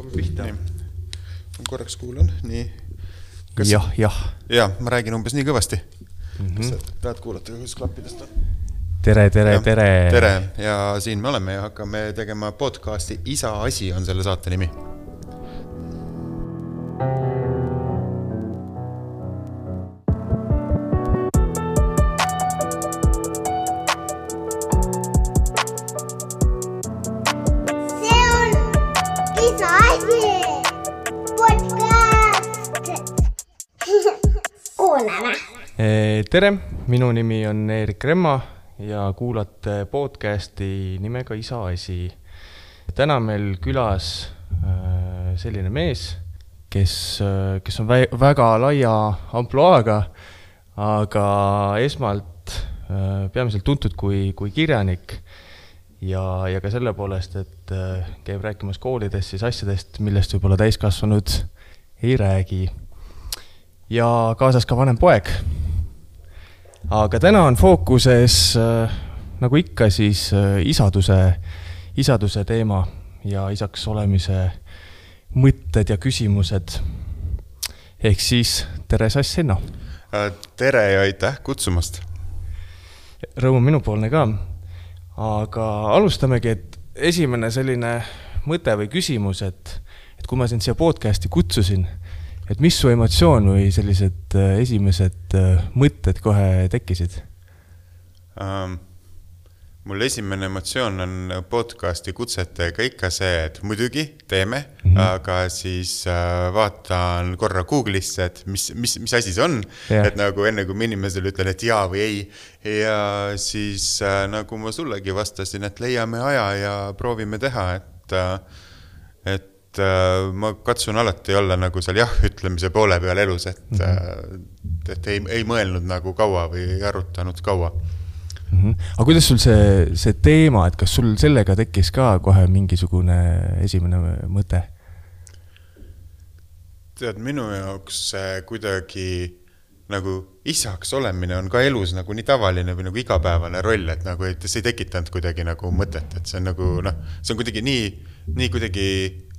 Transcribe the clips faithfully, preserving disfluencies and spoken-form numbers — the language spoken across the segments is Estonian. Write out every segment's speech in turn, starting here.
hakkame pihta. Ma korraks kuulan, nii. Kas... Jah, jah. Jah, ma räägin umbes nii kõvasti. Mm-hmm. Kas sa tahad kuulata, kus klappidest on? Tere, tere, ja, tere. Tere, ja siin me oleme ja hakkame tegema podcasti Isa asi on selle saate nimi. Tere, minu nimi on Erik Remma ja kuulate podcasti nimega Isa asi. Täna meil külas selline mees, kes, kes on väga laia ampluaaga, aga esmalt peamiselt tuntud kui, kui kirjanik ja, ja ka selle poolest, et käib rääkimas koolides siis asjadest, millest võib-olla täiskasvanud ei räägi. Ja kaasas ka vanem poeg. Aga täna on fookuses, äh, nagu ikka, siis äh, isaduse, isaduse teema ja isaks olemise mõtted ja küsimused. Ehk siis tere, Sass Henno. Tere ja aitäh kutsumast. Rõõmu minupoolne ka. Aga alustamegi, et esimene selline mõte või küsimus, et, et kui ma sind siia podcasti kutsusin, et mis su emotsioon või sellised esimesed mõtted kohe tekkisid? Um, mul esimene emotsioon on podcasti kutsetega ikka see, et muidugi teeme, mm-hmm. aga siis uh, vaatan korra Google'isse, et mis, mis, mis asi see on, yeah. Et nagu enne kui inimesele ütlen, et jaa või ei, ja siis uh, nagu ma sullegi vastasin, et leiame aja ja proovime teha, et, uh, et ma katsun alati olla nagu seal jah ütlemise poole peal elus, et, mm-hmm. et ei, ei mõelnud nagu kaua või ei arutanud kaua. Mm-hmm. Aga kuidas sul see, see teema, et kas sul sellega tekkis ka kohe mingisugune esimene mõte? Tead, minu jaoks kuidagi nagu isaks olemine on ka elus nagu nii tavaline või nagu igapäevane roll, et nagu et see ei tekitanud kuidagi nagu mõtet, et see on nagu, noh, see on kuidagi nii, nii kuidagi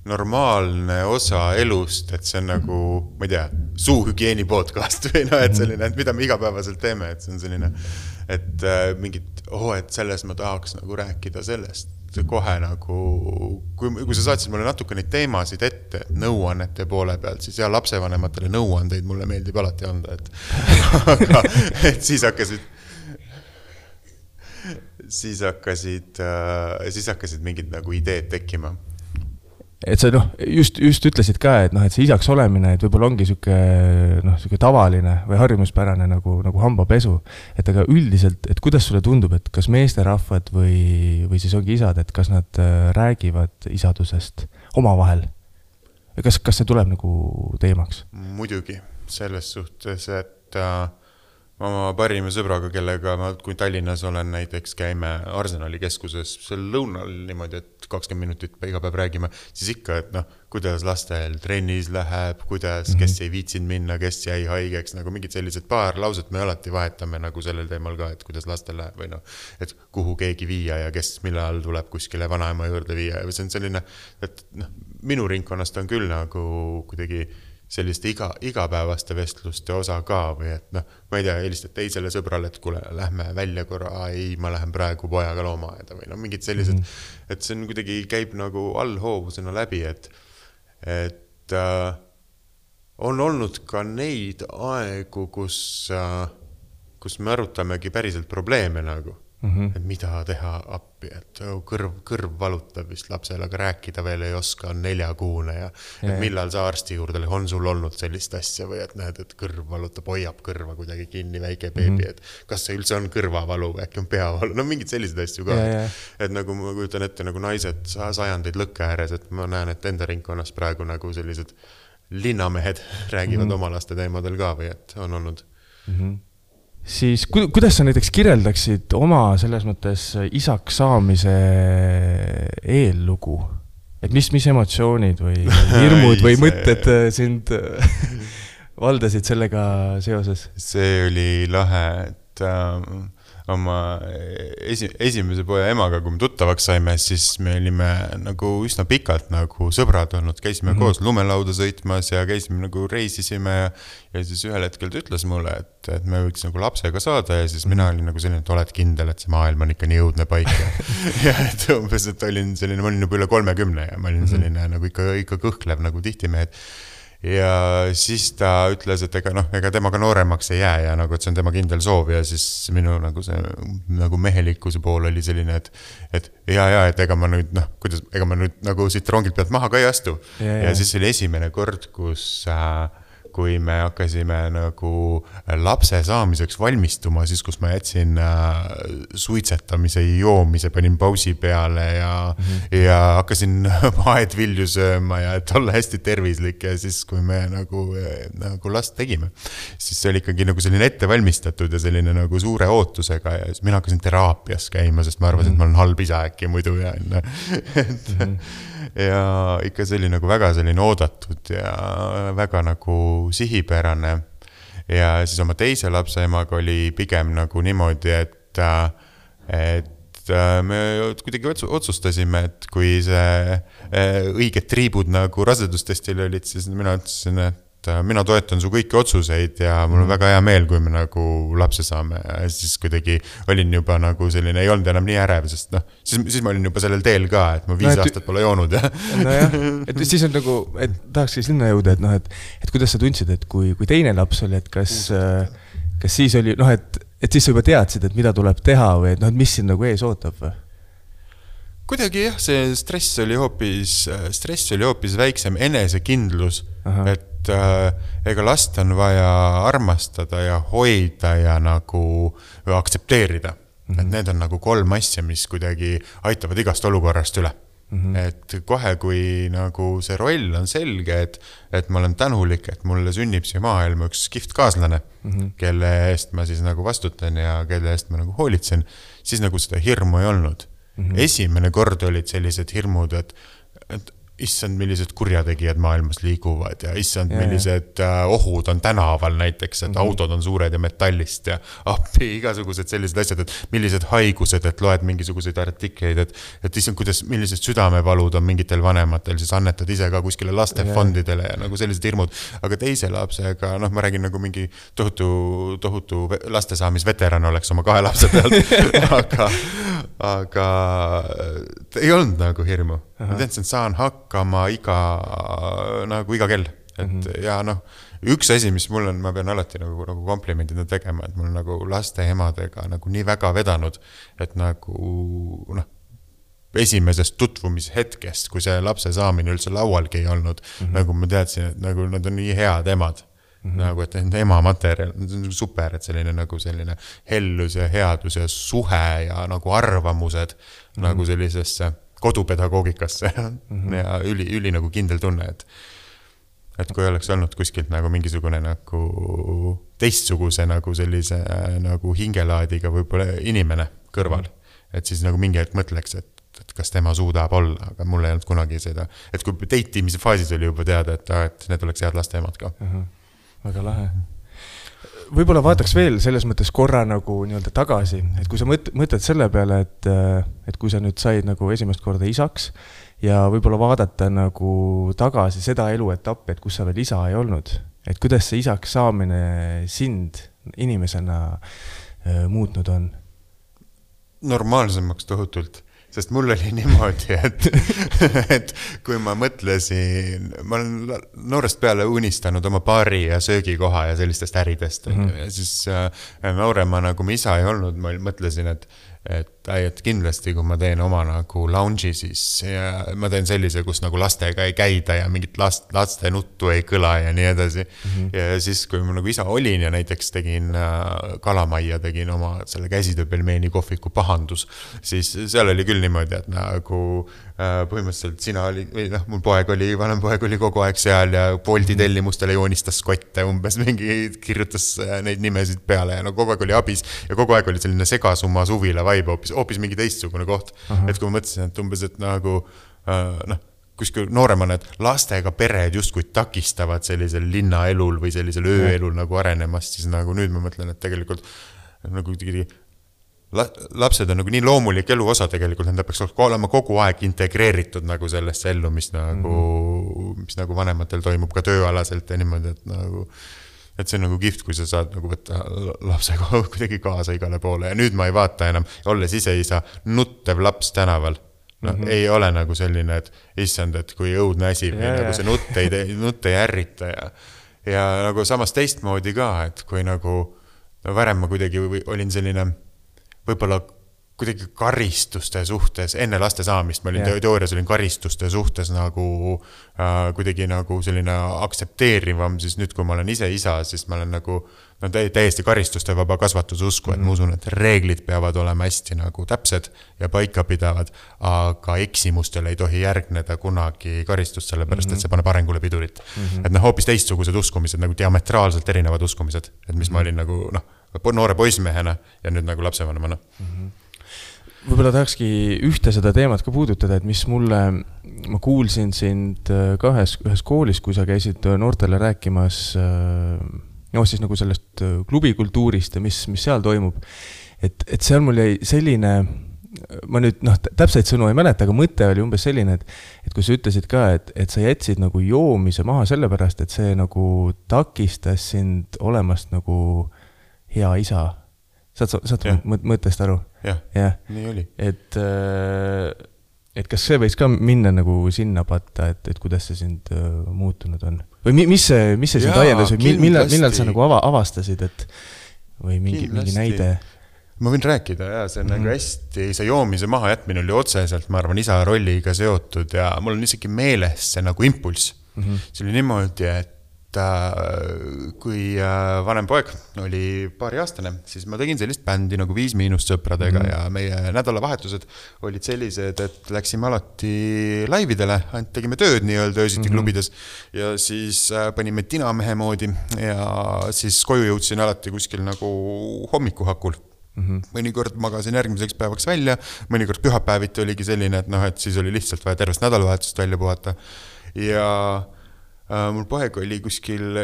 normaalne osa elust, et see on nagu, ma ei tea, suuhügieeni podcast või no, et selline, et mida me igapäevaselt teeme, et see on selline, et äh, mingid, oh, et selles ma tahaks nagu rääkida sellest kohe nagu, kui, kui sa saatsid mulle natuke neid teemasid ette, et nõuannete poole pealt, siis ja lapsevanematele nõuandeid mulle meeldib alati anda, et, aga, et siis hakkasid, siis hakkasid, äh, siis hakkasid mingid nagu ideed tekkima. Et sa noh, just, just ütlesid ka, et, noh, et see isaks olemine, et võib-olla ongi süke, noh, süke tavaline või harjumuspärane nagu, nagu hambapesu. Et aga üldiselt, et kuidas sulle tundub, et kas meesterahvad või, või siis ongi isad, et kas nad räägivad isadusest omavahel? Kas, kas see tuleb nagu teemaks? Muidugi, selles suhtes, et äh, oma parima sõbraga, kellega ma, kui Tallinnas olen, näiteks käime Arsenali keskuses seal lõunal niimoodi, et kakskümmend minutit iga päev räägime, siis ikka, et noh, kuidas lastel trennis läheb, kuidas, mm-hmm. kes ei viitsinud minna, kes jäi haigeks, nagu mingid sellised paar lauset me alati vahetame nagu sellel teemal ka, et kuidas lastel läheb või noh, et kuhu keegi viia ja kes millal tuleb kuskile vanaema juurde viia ja see on selline, et noh, minu ringkonnast on küll nagu kuidagi selliste iga, igapäevaste vestluste osa ka või et noh, ma ei tea, helistad teisele sõbrale, et kuule, lähme välja korra, ei, ma lähen praegu pojaga loomaaeda või no mingid sellised, mm-hmm. et see on kuidagi käib nagu allhoovusena läbi, et, et äh, on olnud ka neid aegu, kus, äh, kus me arutamegi päriselt probleeme nagu, mm-hmm. et mida teha appi, et kõrv, kõrv valutab vist lapsel, aga rääkida veel ei oska, on neljakuune ja et yeah. millal sa arsti juurde, on sul olnud sellist asja või et näed, et kõrv valutab, hoiab kõrva kuidagi kinni väike beebi, mm-hmm. et kas see üldse on kõrvavalu või äkki on peavalu, no mingid sellised asju ka, yeah, yeah. et nagu ma kujutan ette nagu naised sajandeid lõkke ääres, et ma näen, et enda ringkonnas praegu nagu sellised linnamehed räägivad mm-hmm. oma laste teemadel ka või et on olnud mm-hmm. Siis ku, kuidas sa näiteks kirjeldaksid oma selles mõttes isaks saamise eellugu? Et mis, mis emotsioonid või hirmud või mõtted sind valdasid sellega seoses? See oli lahe, et äh, oma esi, esimese poja emaga, kui me tuttavaks saime, siis me olime nagu üsna pikalt nagu sõbrad olnud, käisime mm-hmm. koos lumelauda sõitmas ja käisime nagu reisisime ja, ja siis ühel hetkel ta ütles mulle, et, et me võiks nagu lapsega saada ja siis mm-hmm. mina olin nagu selline, et oled kindel, et see maailm on ikka nii õudne paik ja, ja et umbes, et olin selline, ma olin juba üle kolmekümne ja ma olin selline mm-hmm. nagu ikka, ikka kõhklev nagu tihtimehed. Ja siis ta ütles, et ega noh, ega temaga nooremaks ei jää ja nagu, et see on tema kindel soov ja siis minu nagu see nagu mehelikkuse pool oli selline, et, et ja, ja, et ega ma nüüd, noh, kuidas, ega ma nüüd nagu siit rongilt pealt maha ka ei astu. Ja, ja. ja siis oli esimene kord, kus äh, kui me hakkasime nagu lapse saamiseks valmistuma, siis kus ma jätsin äh, suitsetamise ja joomise, panin pausi peale ja, mm-hmm. ja hakkasin aedvilju sööma ja et olla hästi tervislik ja siis, kui me nagu, nagu last tegime, siis see oli ikkagi nagu selline ettevalmistatud ja selline nagu suure ootusega ja siis mina hakkasin teraapias käima, sest ma arvasin, mm-hmm. et ma olen halb isa äkki muidu ja et, mm-hmm. ja ikka see oli nagu väga selline oodatud ja väga nagu sihipärane ja siis oma teise lapse emaga oli pigem nagu niimoodi, et, et me kuidagi otsustasime, et kui see õiged triibud nagu rasedustestil olid, siis mina ütlesin, et mina toetan su kõiki otsuseid ja mul on väga hea meel, kui me nagu lapse saame ja siis kuidagi olin juba nagu selline, ei olnud enam nii ärev, sest noh, siis, siis ma olin juba sellel teel ka, et ma viis no, et, aastat pole joonud ja no jah, et siis on nagu, et tahakski sinna jõuda, et noh, et, et kuidas sa tundsid, et kui, kui teine laps oli, et kas, kas siis oli, noh, et, et siis sa juba teadsid, et mida tuleb teha või et noh, et mis siin nagu ees ootab või? Kuidagi jah, see stress oli hoopis, stress oli hoopis väiksem, enesekindlus, Aha. et äh, ega last on vaja armastada ja hoida ja nagu aktsepteerida. Mm-hmm. Et need on nagu kolm asja, mis kuidagi aitavad igast olukorrast üle. Mm-hmm. Et kohe, kui nagu see roll on selge, et, et ma olen tänulik, et mulle sünnib siia maailma üks kihvt kaaslane, mm-hmm. kelle eest ma siis nagu vastutan ja kelle eest ma nagu hoolitsen, siis nagu seda hirmu ei olnud. Mm-hmm. Esimene kord olid sellised hirmud, et, et issand, millised kurjategijad maailmas liiguvad ja issand, yeah. millised uh, ohud on tänaval näiteks, et mm-hmm. autod on suured ja metallist ja appi, igasugused sellised asjad, et millised haigused, et loed mingisuguseid artikleid, et, et issand, kuidas, millised südamevalud on mingitel vanematel, siis annetad ise ka kuskile lastefondidele yeah. ja nagu sellised hirmud, aga teise lapsega, noh, ma räägin nagu mingi tohutu, tohutu lastesaamisveteran oleks oma kahe lapse pealt, aga, aga ei olnud nagu hirmu. Aha. Ma teadsin, et saan hakkama iga, nagu iga kell. Et, mm-hmm. ja noh, üks asi, mis mul on, ma pean alati nagu, nagu komplimendina tegema, et mul on nagu laste emadega nagu nii väga vedanud, et nagu noh, esimesest tutvumishetkest, kui see lapse saamine üldse laualgi ei olnud, mm-hmm. nagu ma teadsin, et nagu nad on nii head emad. Mm-hmm. Nagu, et ema materjal, super, et selline nagu selline hellus ja headus ja suhe ja nagu arvamused mm-hmm. nagu sellisesse kodupedagoogikasse mm-hmm. ja üli, üli nagu kindel tunne, et, et kui oleks olnud kuskilt nagu mingisugune nagu teistsuguse nagu sellise nagu hingelaadiga võib-olla inimene kõrval, mm-hmm. et siis nagu mingi hetk mõtleks, et, et kas tema suudab olla, aga mul ei olnud kunagi seda, et kui teitimise faasis oli juba teada, et, et need oleks head laste emad ka. Mm-hmm. Väga lahe. Võib-olla vaataks veel selles mõttes korra nagu nii-öelda tagasi, et kui sa mõt, mõtled selle peale, et, et kui sa nüüd said nagu esimest korda isaks ja võib-olla vaadata nagu tagasi seda eluetappi, et kus sa veel isa ei olnud, et kuidas see isaks saamine sind inimesena äh, muutnud on? Normaalsemaks tohutult. Sest mul oli niimoodi, et, et kui ma mõtlesin, ma olen noorest peale unistanud oma baari ja söögikoha ja sellistest äridest. Mm-hmm. Ja siis äh, noorema nagu ma isa ei olnud, ma mõtlesin, et, et, et kindlasti kui ma teen oma nagu lounge'i, siis ja ma teen sellise, kus nagu lastega ei käida ja mingit last, laste nuttu ei kõla ja nii edasi. Mm-hmm. Ja siis, kui ma nagu isa olin ja näiteks tegin äh, kalamaia, tegin oma selle käsitööpelmeeni kohviku pahandus, siis seal oli küll niimoodi, et nagu äh, põhimõtteliselt sina oli, või noh, mul poeg oli, vanem poeg oli kogu aeg seal ja Bolti tellimustele joonistas kotte, umbes mingi kirjutas neid nimesid peale ja no kogu aeg oli abis ja kogu aeg oli selline segasumma suvila vaib, hoopis, hoopis mingi teistsugune koht. Aha. Et kui ma mõtlesin, et umbes, et nagu äh, noh, kuskil nooremana, et lastega pered justkui takistavad sellisel linnaelul või sellisel ööelul nagu arenemast, siis nagu nüüd ma mõtlen, et tegelikult nagu lapsed on nagu nii loomulik elu osa tegelikult, nende peaks olema kogu aeg integreeritud nagu sellesse ellu, mis nagu, mm-hmm. mis nagu vanematel toimub ka tööalaselt ja niimoodi, et nagu, et see on nagu kihvt, kui sa saad nagu võtta lapsega kuidagi kaasa igale poole ja nüüd ma ei vaata enam, olles ise isa, nuttev laps tänaval. No, mm-hmm. ei ole nagu selline, et issand, et kui õudne asi või yeah, nagu see nutt ei, nutt ei ärrita ja, ja nagu samas teistmoodi ka, et kui nagu no varem ma kuidagi olin selline võib-olla kuidagi karistuste suhtes, enne laste saamist ma olin yeah. teoorias olin karistuste suhtes nagu äh, kuidagi nagu selline aktsepteerivam, siis nüüd kui ma olen ise isa, siis ma olen nagu no, täiesti karistuste vaba kasvatuse usku, et mm. ma usun, et reeglid peavad olema hästi nagu täpsed ja paika pidavad, aga eksimustele ei tohi järgneda kunagi karistust, sellepärast mm-hmm. et see paneb arengule pidurit. Mm-hmm. Et noh, hoopis teistsugused uskumised, nagu diametraalselt erinevad uskumised, et mis mm-hmm. ma olin nagu noh, noore poismehena ja nüüd nagu lapsevanemana. Mm-hmm. Võib-olla tahakski ühte seda teemat ka puudutada, et mis mulle, ma kuulsin sind ka ühes, ühes koolis, kui sa käisid noortele rääkimas no siis nagu sellest klubikultuurist ja mis, mis seal toimub. Et, et seal mul jäi selline, ma nüüd noh, täpseid sõnu ei mäleta, aga mõte oli umbes selline, et, et kui sa ütlesid ka, et, et sa jätsid nagu joomise maha sellepärast, et see nagu takistas sind olemast nagu hea isa. Saad, saad mõttest aru? Jah, ja. Nii oli. Et, et kas see võiks ka minna nagu sinna patta, et, et kuidas see sind muutunud on? Või mis see, mis see sind ajendas? Millal, millal sa nagu ava, avastasid, et või mingi, mingi näide? Ma võin rääkida, ja see on mm-hmm. nagu hästi, see joomise maha jätmine oli otseselt, ma arvan, isa rolliga seotud ja mul on isegi meeles see nagu impulss. Mm-hmm. See oli niimoodi, et kui vanem poeg oli paari aastane, siis ma tegin sellist bändi nagu Viis Miinust sõpradega mm. ja meie nädalavahetused olid sellised, et läksime alati laividele, ainult tegime tööd nii-öelda öösiti mm-hmm. klubides ja siis panime tinamehe moodi ja siis koju jõudsin alati kuskil nagu hommikuhakul. Mm-hmm. Mõnikord magasin järgmiseks päevaks välja, mõnikord pühapäeviti oligi selline, et noh, et siis oli lihtsalt vaja tervest nädalavahetust välja puhata ja Uh, mul poeg oli kuskil,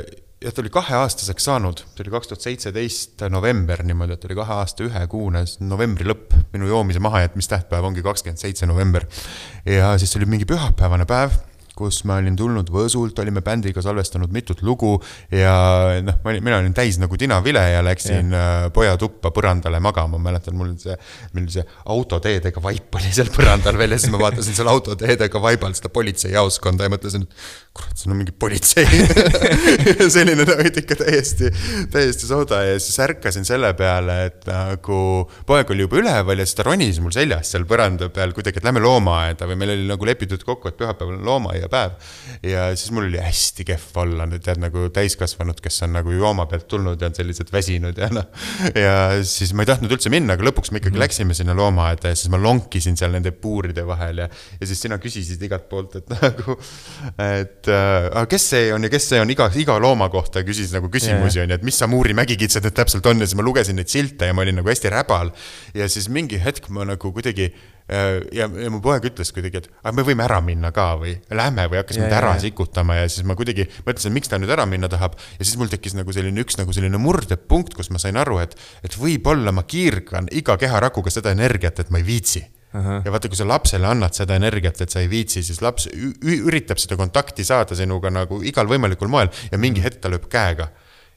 ja ta oli kahe aastaseks saanud, see oli kaks tuhat seitseteist november niimoodi, et oli kahe aasta ühe kuune novembri lõpp, minu joomise mahajätmis tähtpäev ongi kakskümmend seitse november ja siis oli mingi pühapäevane päev, kus ma olin tulnud Võsult, olime bändiga salvestanud mitut lugu ja noh, mina olin täis nagu tinavile ja läksin yeah. poja tuppa põrandale magama, ma mäletan, mul see, mul see autoteedega vaip oli seal põrandal veel ja siis ma vaatasin seal autoteedega vaibal seda politseijaoskonda ja mõtlesin, et kurat, see on mingi politsei selline nagu ikka täiesti, täiesti sooda ja siis ärkasin selle peale, et nagu poeg oli juba üleval ja siis ta ronis mul seljas seal põranda peal kuidagi, et lähme loomaaeda või meil oli nagu lepitud kokku, et pühapäeval on looma ja päev ja siis mul oli hästi kehv olla, tead nagu täiskasvanud, kes on nagu jooma pealt tulnud ja on sellised väsinud ja noh, ja siis ma ei tahtnud üldse minna, aga lõpuks me ikkagi mm-hmm. läksime sinna loomaaeda ja siis ma lonkisin seal nende puuride vahel ja, ja siis sina küsisid igalt poolt, et nagu, et äh, kes see on ja kes see on, iga, iga looma kohta küsis nagu küsimusi yeah. on ja et mis sa Muuri mägikitsed need täpselt on ja siis ma lugesin neid silte ja ma olin nagu hästi räbal ja siis mingi hetk ma nagu kuidagi ja, ja mu poeg ütles kuidagi, et aga me võime ära minna ka või lähme või hakkas mind ära sikutama ja siis ma kuidagi mõtlesin, miks ta nüüd ära minna tahab ja siis mul tekkis nagu selline üks nagu selline murdepunkt, kus ma sain aru, et, et võib-olla ma kiirgan iga keharakuga seda energiat, et ma ei viitsi. Aha. Ja vaata, kui sa lapsele annad seda energiat, et sa ei viitsi, siis laps üritab seda kontakti saada sinuga nagu igal võimalikul moel ja mingi hetk ta lööb käega.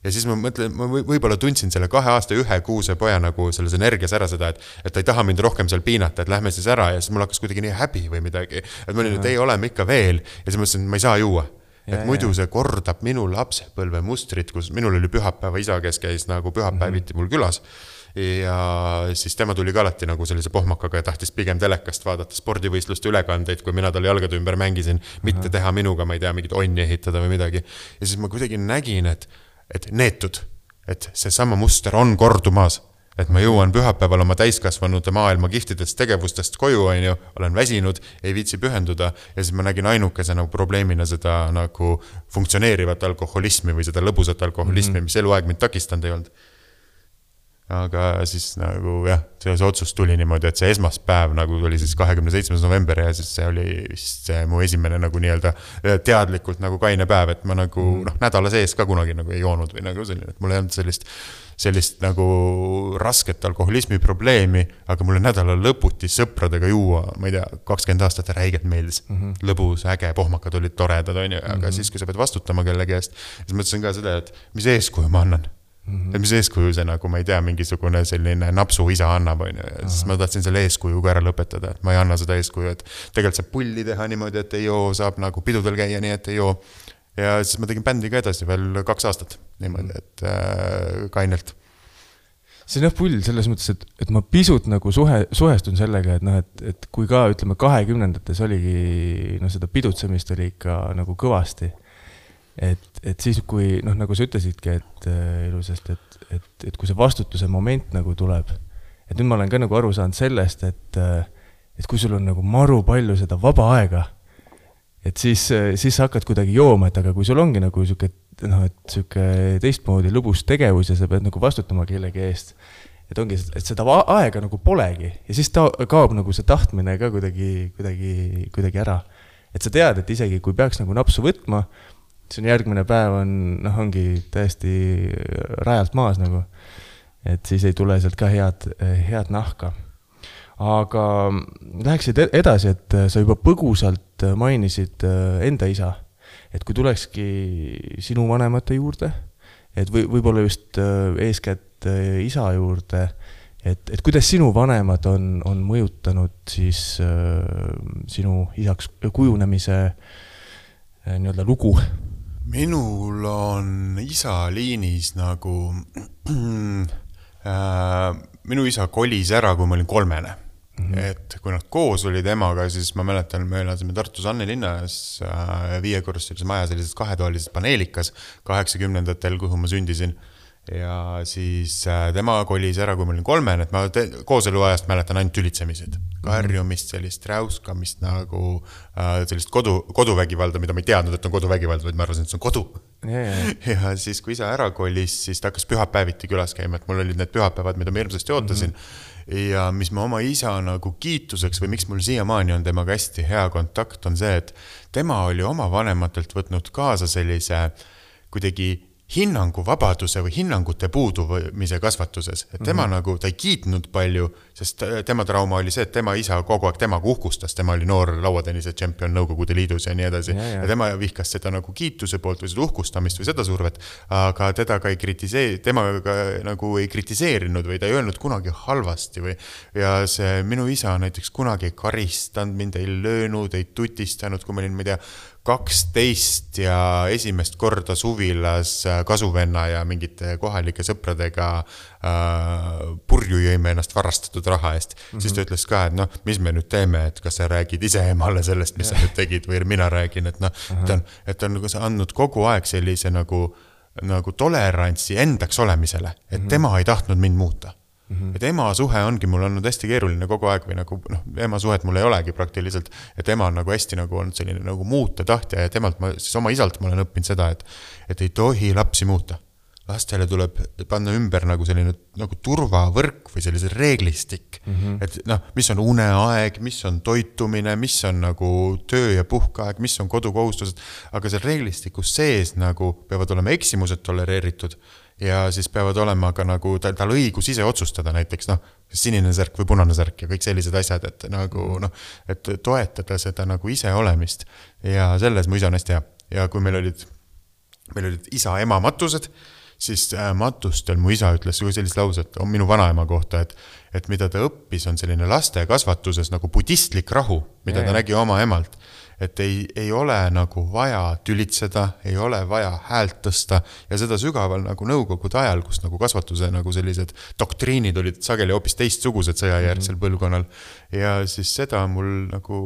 Ja siis ma mõtlen, ma võib-olla tundsin selle kahe aasta ühe kuuse poja nagu selles energias ära seda, et, et ta ei taha mind rohkem seal piinata, et lähme siis ära ja siis mul hakkas kuidagi nii häbi või midagi. Et ma olin, et ei oleme ikka veel ja siis mõtlesin, et ma ei saa juua. Ja, et muidu see kordab minu lapsepõlve mustrit, kus minul oli pühapäeva isa, kes käis nagu pühapäeviti mul külas ja siis tema tuli ka alati nagu sellise pohmakaga ja tahtis pigem telekast vaadata spordivõistluste ülekandeid, kui mina talle jalgade ümber mängisin, mitte teha minuga, ma ei tea, mingit onni ehitada või midagi. Ja siis ma kuidagi nägin, et et neetud, et see sama muster on kordumas, et ma jõuan pühapäeval oma täiskasvanud maailma kihtidest tegevustest koju, on ju, olen väsinud, ei viitsi pühenduda ja siis ma nägin ainukese nagu probleemina seda nagu funktsioneerivat alkoholismi või seda lõbusat alkoholismi, mm-hmm. mis eluaeg mind takistanud ei olnud. aga siis nagu jah, see otsus tuli niimoodi, et see esmaspäev nagu oli siis kahekümne seitsmes november ja siis see oli vist see mu esimene nagu nii-öelda teadlikult nagu kaine päev, et ma nagu mm. noh, nädala sees ka kunagi nagu ei joonud või nagu selline, et mul ei olnud sellist, sellist nagu rasket alkoholismi probleemi, aga mulle nädala lõputi sõpradega juua, ma ei tea, kakskümmend aastat räigelt meeldis, mm-hmm. lõbus, äge, pohmakad olid toredad, on ju, aga mm-hmm. siis, kui sa pead vastutama kellegi eest, siis mõtlesin ka seda, et mis eeskuju ma annan. Mm-hmm. Et mis eeskuju see nagu, ma ei tea, mingisugune selline napsu isa annab, on ju, ja siis ma tahtsin selle eeskujuga ära lõpetada, et ma ei anna seda eeskuju, et tegelikult saab pulli teha niimoodi, et ei joo, saab nagu pidudel käia nii, et ei joo. Ja siis ma tegin bändi ka edasi veel kaks aastat niimoodi, et äh, kainelt. See on jah pull selles mõttes, et, et ma pisut nagu suhe, suhestun sellega, et, noh, et, et kui ka ütleme kahekümnendates oligi, no seda pidutsemist oli ikka nagu kõvasti. Et, et siis, kui, noh, nagu sa ütlesidki, et äh, ilusasti, et, et, et kui see vastutuse moment nagu tuleb, et nüüd ma olen ka nagu aru saanud sellest, et, et kui sul on nagu maru palju seda vaba aega, et siis, siis sa hakkad kuidagi jooma, et aga kui sul ongi nagu siuke, noh, et siuke teistmoodi lõbus tegevus ja sa pead nagu vastutama kellegi eest, et ongi, et seda aega nagu polegi ja siis ta kaob nagu see tahtmine ka kuidagi, kuidagi, kuidagi ära. Et sa tead, et isegi kui peaks nagu napsu võtma, see on järgmine päev on, noh, ongi täiesti rajalt maas nagu, et siis ei tule sealt ka head, head nahka. Aga läheksid edasi, et sa juba põgusalt mainisid enda isa, et kui tulekski sinu vanemate juurde, et või, võib-olla just eeskätt isa juurde, et, et kuidas sinu vanemad on, on mõjutanud siis sinu isaks kujunemise nii-öelda lugu? Minul on isa liinis nagu äh, minu isa kolis ära, kui ma olin kolmene. Mm-hmm. Et kui nad koos olid emaga, siis ma mäletan, me elasime Tartus Anne linnas äh, viiekorruses maja sellises kahetoalises paneelikas kaheksakümnendatel, kuhu ma sündisin. Ja siis äh, tema kolis ära, kui ma olin kolmen, et ma te- kooseluajast mäletan ainult tülitsemised. Karjumist, sellist räuskamist nagu äh, sellist kodu, koduvägivalda, mida ma ei teadnud, et on koduvägivalda, vaid ma arvasin, et see on kodu. Yeah, yeah. Ja siis, kui isa ära kolis, siis ta hakkas pühapäeviti külas käima, et mul olid need pühapäevad, mida ma hirmsasti ootasin. Mm-hmm. Ja mis ma oma isa nagu kiituseks või miks mul siiamaani on temaga hästi hea kontakt, on see, et tema oli oma vanematelt võtnud kaasa sellise kuidagi hinnangu vabaduse või hinnangute puudumise kasvatuses. Et tema mm-hmm. nagu, ta ei kiitnud palju, sest tema trauma oli see, et tema isa kogu aeg temaga uhkustas. Tema oli noor lauatennise tšempion Nõukogude Liidus ja nii edasi. Ja, ja. ja tema vihkas seda nagu kiituse poolt või seda uhkustamist või seda survet, aga teda ka ei kritiseeri, tema ka nagu ei kritiseerinud või ta ei öelnud kunagi halvasti või ja see minu isa näiteks kunagi ei karistanud, mind ei löönud, ei tutistanud, kui ma olin, ma ei tea, kaksteist ja esimest korda suvilas kasuvenna ja mingite kohalike sõpradega äh, purju jõime ennast varastatud raha eest. Mm-hmm. Siis ta ütles ka, et noh, mis me nüüd teeme, et kas sa räägid ise emale sellest, mis yeah. sa nüüd tegid või mina räägin, et noh, uh-huh. et on, et on nagu andnud kogu aeg sellise nagu, nagu tolerantsi endaks olemisele, et mm-hmm. tema ei tahtnud mind muuta. Mm-hmm. Et ema suhe ongi mul olnud hästi keeruline kogu aeg või nagu, noh, ema suhet mul ei olegi praktiliselt, et ema on nagu hästi nagu olnud selline nagu muuta tahtja ja temalt ma, siis oma isalt ma olen õppinud seda, et, et ei tohi lapsi muuta. Lastele tuleb panna ümber nagu selline nagu turvavõrk või sellise reeglistik, mm-hmm. et noh, mis on uneaeg, mis on toitumine, mis on nagu töö ja puhkaeg, mis on kodukohustused, aga seal reeglistikus sees nagu peavad olema eksimused tolereeritud ja siis peavad olema ka nagu tal, tal õigus ise otsustada näiteks, noh, sinine särk või punane särk ja kõik sellised asjad, et nagu, noh, et toetada seda nagu ise olemist ja selles mu isa on hästi hea. Ja kui meil olid, meil olid isa ema matused, siis matustel mu isa ütles sellist lauset on minu vanaema kohta, et, et mida ta õppis on selline laste kasvatuses nagu budistlik rahu, mida ja, ta ja. nägi oma emalt. Et ei, ei ole nagu vaja tülitseda, ei ole vaja häält tõsta ja seda sügaval nagu nõukogude ajal, kus nagu kasvatuse nagu sellised doktriinid olid sageli hoopis teistsugused sõjajärgsel põlvkonnal ja siis seda mul nagu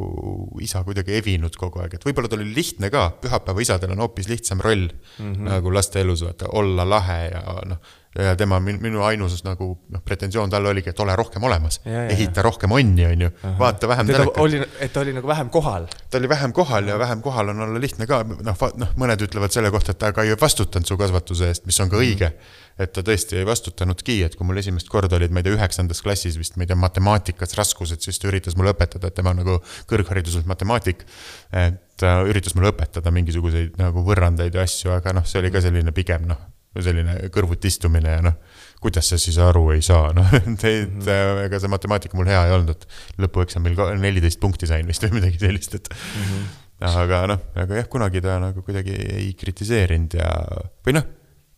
isa kuidagi evinud kogu aeg, et võib-olla ta oli lihtne ka, pühapäeva isadel on hoopis lihtsam roll mm-hmm. nagu laste elus, vaata, olla lahe ja noh, ja tema, minu ainus nagu noh, pretensioon talle oligi, et ole rohkem olemas, ja, ja, ehita rohkem onni, on ju, vaata vähem telekat. Oli, et ta oli nagu vähem kohal. Ta oli vähem kohal ja vähem kohal on olla lihtne ka, noh, noh mõned ütlevad selle kohta, et ta ka ei vastutanud su kasvatuse eest, mis on ka õige, et ta tõesti ei vastutanudki, et kui mul esimest korda olid, ma ei tea, üheksandas klassis vist, ma ei tea, matemaatikas raskused, siis ta üritas mulle õpetada, et tema nagu kõrghariduselt matemaatik, et üritas mulle õpetada mingisuguseid nagu võrrandaid ja asju, aga noh, see oli ka selline pigem, noh, selline kõrvut istumine ja noh, kuidas see siis aru ei saa, noh, teid, mm-hmm. ega see matemaatika mul hea ei olnud, et lõpueksamil neliteist punkti sain vist või midagi sellist, et mm-hmm. aga noh, aga jah, kunagi ta nagu kuidagi ei kritiseerinud ja, või noh,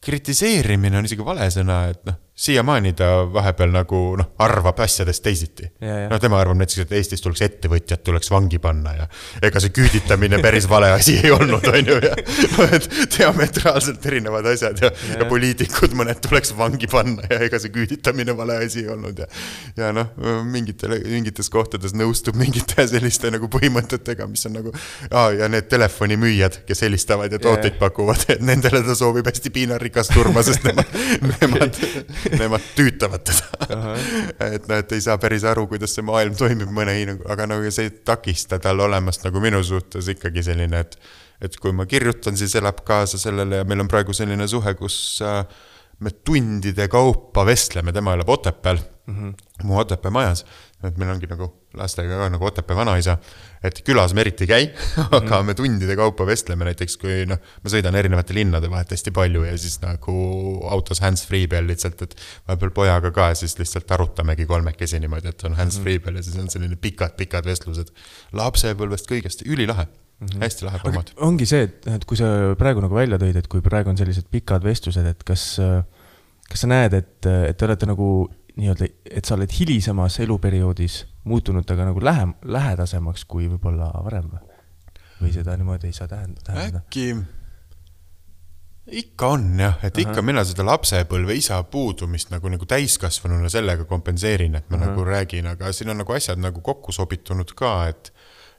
kritiseerimine on isegi vale sõna, et noh, siiamaani ta vahepeal nagu noh, arvab asjadest teisiti. No tema arvab näiteks, et Eestis tuleks ettevõtjad, tuleks vangi panna ja ega see küüditamine päris vale asi ei olnud, on ju, ja no, et diametraalselt erinevad asjad ja, ja. ja poliitikud mõned tuleks vangi panna ja ega see küüditamine vale asi ei olnud ja, ja noh, mingitele, mingites kohtades nõustub mingite selliste nagu põhimõtetega, mis on nagu, aa, ja need telefonimüüjad, kes helistavad ja tooteid pakuvad, et nendele ta soovib hästi piinarikas turma, sest nemad, nemad nemad tüütavad teda. et noh, et ei saa päris aru, kuidas see maailm toimib mõne hinnangu, aga nagu see ei takista tal olemast nagu minu suhtes ikkagi selline, et, et kui ma kirjutan, siis elab kaasa sellele ja meil on praegu selline suhe, kus äh, me tundide kaupa vestleme, tema elab Otepääl, mm-hmm. mu Otepää majas, et meil ongi nagu lastega ka nagu Otepää vanaisa, et külas me eriti käi, aga mm. me tundide kaupa vestleme näiteks, kui noh, ma sõidan erinevate linnade vahet hästi palju ja siis nagu autos hands-free peal lihtsalt, et vahepeal pojaga ka siis lihtsalt arutamegi kolmekesi niimoodi, et on hands-free peal ja siis on selline pikad-pikad vestlused lapsepõlvest kõigest, ülilahe, mm-hmm. hästi lahe formaat. Ongi see, et, et kui sa praegu nagu välja tõid, et kui praegu on sellised pikad vestlused, et kas, kas sa näed, et, et te olete nagu nii-öelda, et sa oled hilisemas eluperioodis muutunud aga nagu lähem, lähedasemaks kui võib-olla varem või seda niimoodi ei saa tähendada? Äkki ikka on jah, et Aha. ikka mina seda lapsepõlve isa puudumist nagu, nagu täiskasvanuna sellega kompenseerin, et ma Aha. nagu räägin, aga siin on nagu asjad nagu kokku sobitunud ka, et,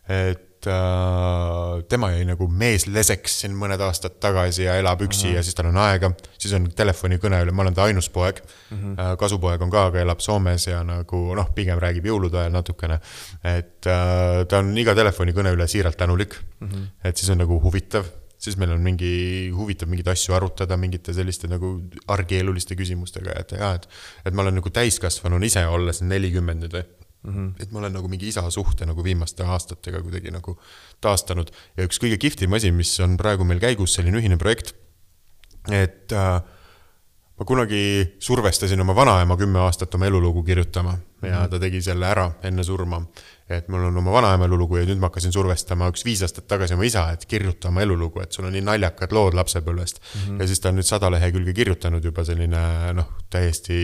et äh, tema jäi nagu mees leseks siin mõned aastad tagasi ja elab üksi Aha. ja siis tal on aega, siis on telefonikõne üle, ma olen ta ainus poeg, mm-hmm. kasupoeg on ka, aga elab Soomes ja nagu noh, pigem räägib jõulude ajal natukene, et äh, ta on iga telefonikõne üle siiralt tänulik, mm-hmm. et siis on nagu huvitav, siis meil on mingi huvitav mingid asju arutada, mingite selliste nagu argieluliste küsimustega, et, ja, et, et ma olen nagu täiskasvanun ise olles nelikümmend nüüd, Mm-hmm. et ma olen nagu mingi isa suhte nagu viimaste aastatega kuidagi nagu taastanud ja üks kõige kihvtim asi, mis on praegu meil käigus selline ühine projekt, et äh, ma kunagi survestasin oma vanaema kümme aastat oma elulugu kirjutama ja ta tegi selle ära enne surma, et mul on oma vanaema elulugu ja nüüd ma hakkasin survestama üks viis aastat tagasi oma isa, et kirjuta oma elulugu, et sul on nii naljakad lood lapsepõlvest mm-hmm. ja siis ta on nüüd sada lehekülge kirjutanud juba selline noh, täiesti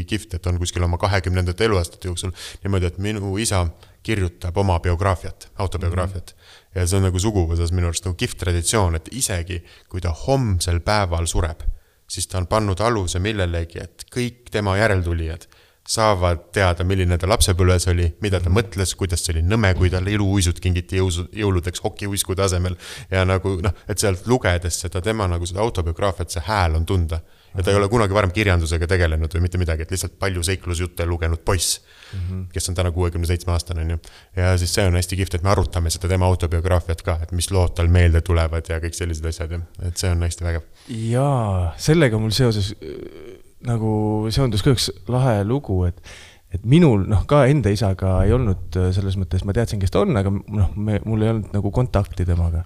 kihvt, et on kuskil oma kahekümnendate eluaastate jooksul niimoodi, et minu isa kirjutab oma biograafiat, autobiograafiat mm-hmm. ja see on nagu suguvõsas minu arust nagu kihvt traditsioon, et isegi kui ta homsel päeval sureb, siis ta on pannud aluse millelegi, et kõik tema järeltulijad saavad teada, milline ta lapsepõlves oli, mida ta mõtles, kuidas see oli nõme, kui tal iluuisud kingiti jõuludeks hokiuisku tasemel ja nagu noh, et sealt lugedes seda tema nagu seda autobiograafiat, see hääl on tunda ja ta ei ole kunagi varem kirjandusega tegelenud või mitte midagi, et lihtsalt palju seiklusjutte lugenud poiss, mm-hmm. kes on täna kuuekümne seitsme aastane on ju. Ja siis see on hästi kihvt, et me arutame seda tema autobiograafiat ka, et mis lood tal meelde tulevad ja kõik sellised asjad, et see on hästi vägev. Jaa, sellega mul seoses nagu seondus ka üks lahe lugu, et, et minul noh, ka enda isaga ei olnud selles mõttes, ma teadsin, kes ta on, aga noh, me, mul ei olnud nagu kontakti temaga.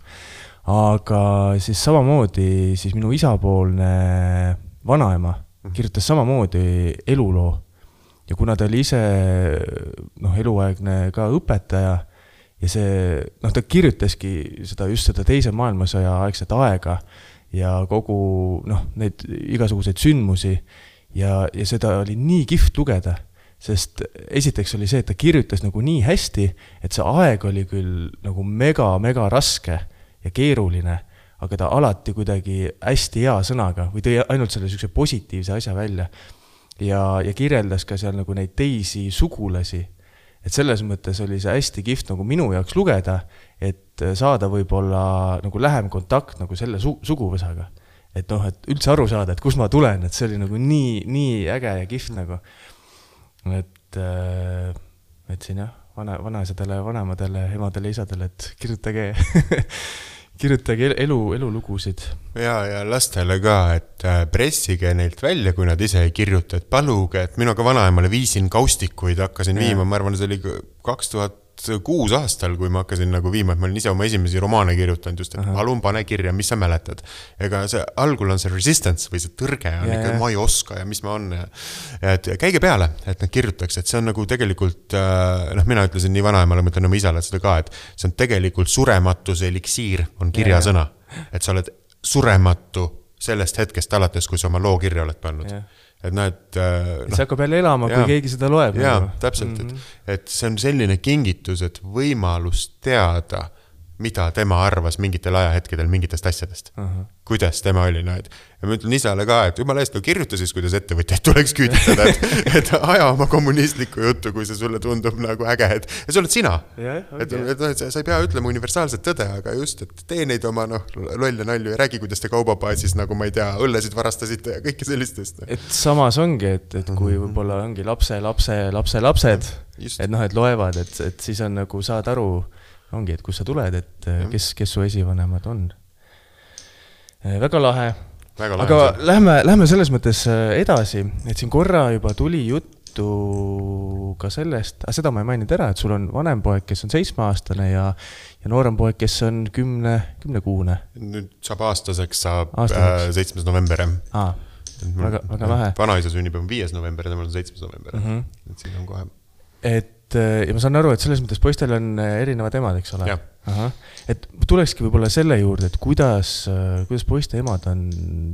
Aga siis samamoodi siis minu isapoolne vanaema kirjutas samamoodi eluloo ja kuna ta oli ise noh, eluaegne ka õpetaja ja see, noh, ta kirjutaski seda just seda teise maailmasõja aegset aega ja kogu noh, neid igasuguseid sündmusi ja, ja seda oli nii kihvt lugeda, sest esiteks oli see, et ta kirjutas nagu nii hästi, et see aeg oli küll nagu mega, mega raske ja keeruline, aga ta alati kuidagi hästi hea sõnaga või tõi ainult selle sükse positiivse asja välja ja, ja kirjeldas ka seal nagu neid teisi sugulasi. Et selles mõttes oli see hästi kihvt nagu minu jaoks lugeda, et saada võib-olla nagu lähem kontakt nagu selle su- suguvõsaga. et noh, et üldse aru saada, et kus ma tulen, et see oli nagu nii, nii äge ja kihvt nagu. Et, et siin jah, vana, vanaisadele, vanemadele, emadele, isadele, et kirjutage, kirjutage elu, elulugusid. Ja, ja lastele ka, et pressige neilt välja, kui nad ise ei kirjuta, et paluge, et minu ka vanaemale viisin kaustikuid, hakkasin ja. viima, ma arvan, see oli kaks tuhat kuus aastal, kui ma hakkasin nagu viima, et ma olin ise oma esimesi romaane kirjutanud just, et Aha. palun pane kirja, mis sa mäletad. Ega see algul on see resistance või see tõrge on yeah, ikka, yeah. ma ei oska ja mis ma on. Ja, et käige peale, et nad kirjutaks, et see on nagu tegelikult, noh, mina ütlesin nii vanaemale, ma ütlen oma isale seda ka, et see on tegelikult surematuse eliksiir, on kirjasõna. Yeah. Et sa oled surematu sellest hetkest alates, kui sa oma loo kirja oled pannud. Yeah. Et noh, et... No, see hakkab jälle elama, kui ja, keegi seda loeb. Jaa, nagu. Täpselt, mm-hmm. et, et see on selline kingitus, et võimalus teada, mida tema arvas mingitel ajahetkedel mingitest asjadest. Uh-huh. Kuidas tema oli, no, et ja ma ütlen isale ka, et jumala eest, no kirjuta siis, kuidas ettevõtjaid tuleks küüditada, et, et aja oma kommunistlikku juttu, kui see sulle tundub nagu äge, et ja see oled sina. Yeah, okay. et, et, et sa ei pea ütlema universaalset tõde, aga just, et tee neid oma no, lolle nalju ja räägi, kuidas te kaubapaasis, nagu ma ei tea, õllesid varastasite ja kõike sellistest. Et samas ongi, et, et kui võib-olla ongi lapse, lapse, lapse, lapsed, just. Et noh, et loevad, et, et siis on nagu saad aru, ongi, et kus sa tuled, et kes, kes su esivanemad on. Väga lahe. Väga lahe. Aga see. lähme, lähme selles mõttes edasi, et siin korra juba tuli juttu ka sellest, aga seda ma ei maininud ära, et sul on vanem poeg, kes on seitsmeaastane ja, ja noorem poeg, kes on kümne, kümnekuune. Nüüd saab aastaseks, saab aastaseks. Äh, seitsmes november. Aa, väga, väga lahe. Vanaisa sünnib on viies november ja temal on seitsmes november. Mm-hmm. Et siin on kohe. Et ja ma saan aru, et selles mõttes poistel on erinevad emad, eks ole? Aha. Et tulekski võib-olla selle juurde, et kuidas, kuidas poiste emad on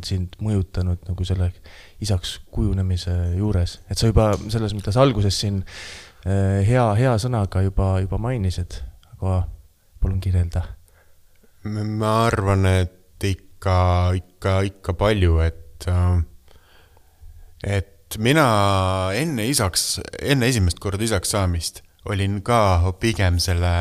sind mõjutanud nagu selle isaks kujunemise juures. Et sa juba selles mõttes alguses siin hea, hea sõnaga juba, juba mainisid, aga palun kirjelda. Ma arvan, et ikka, ikka, ikka palju, et, et mina enne isaks, enne esimest korda isaks saamist olin ka pigem selle,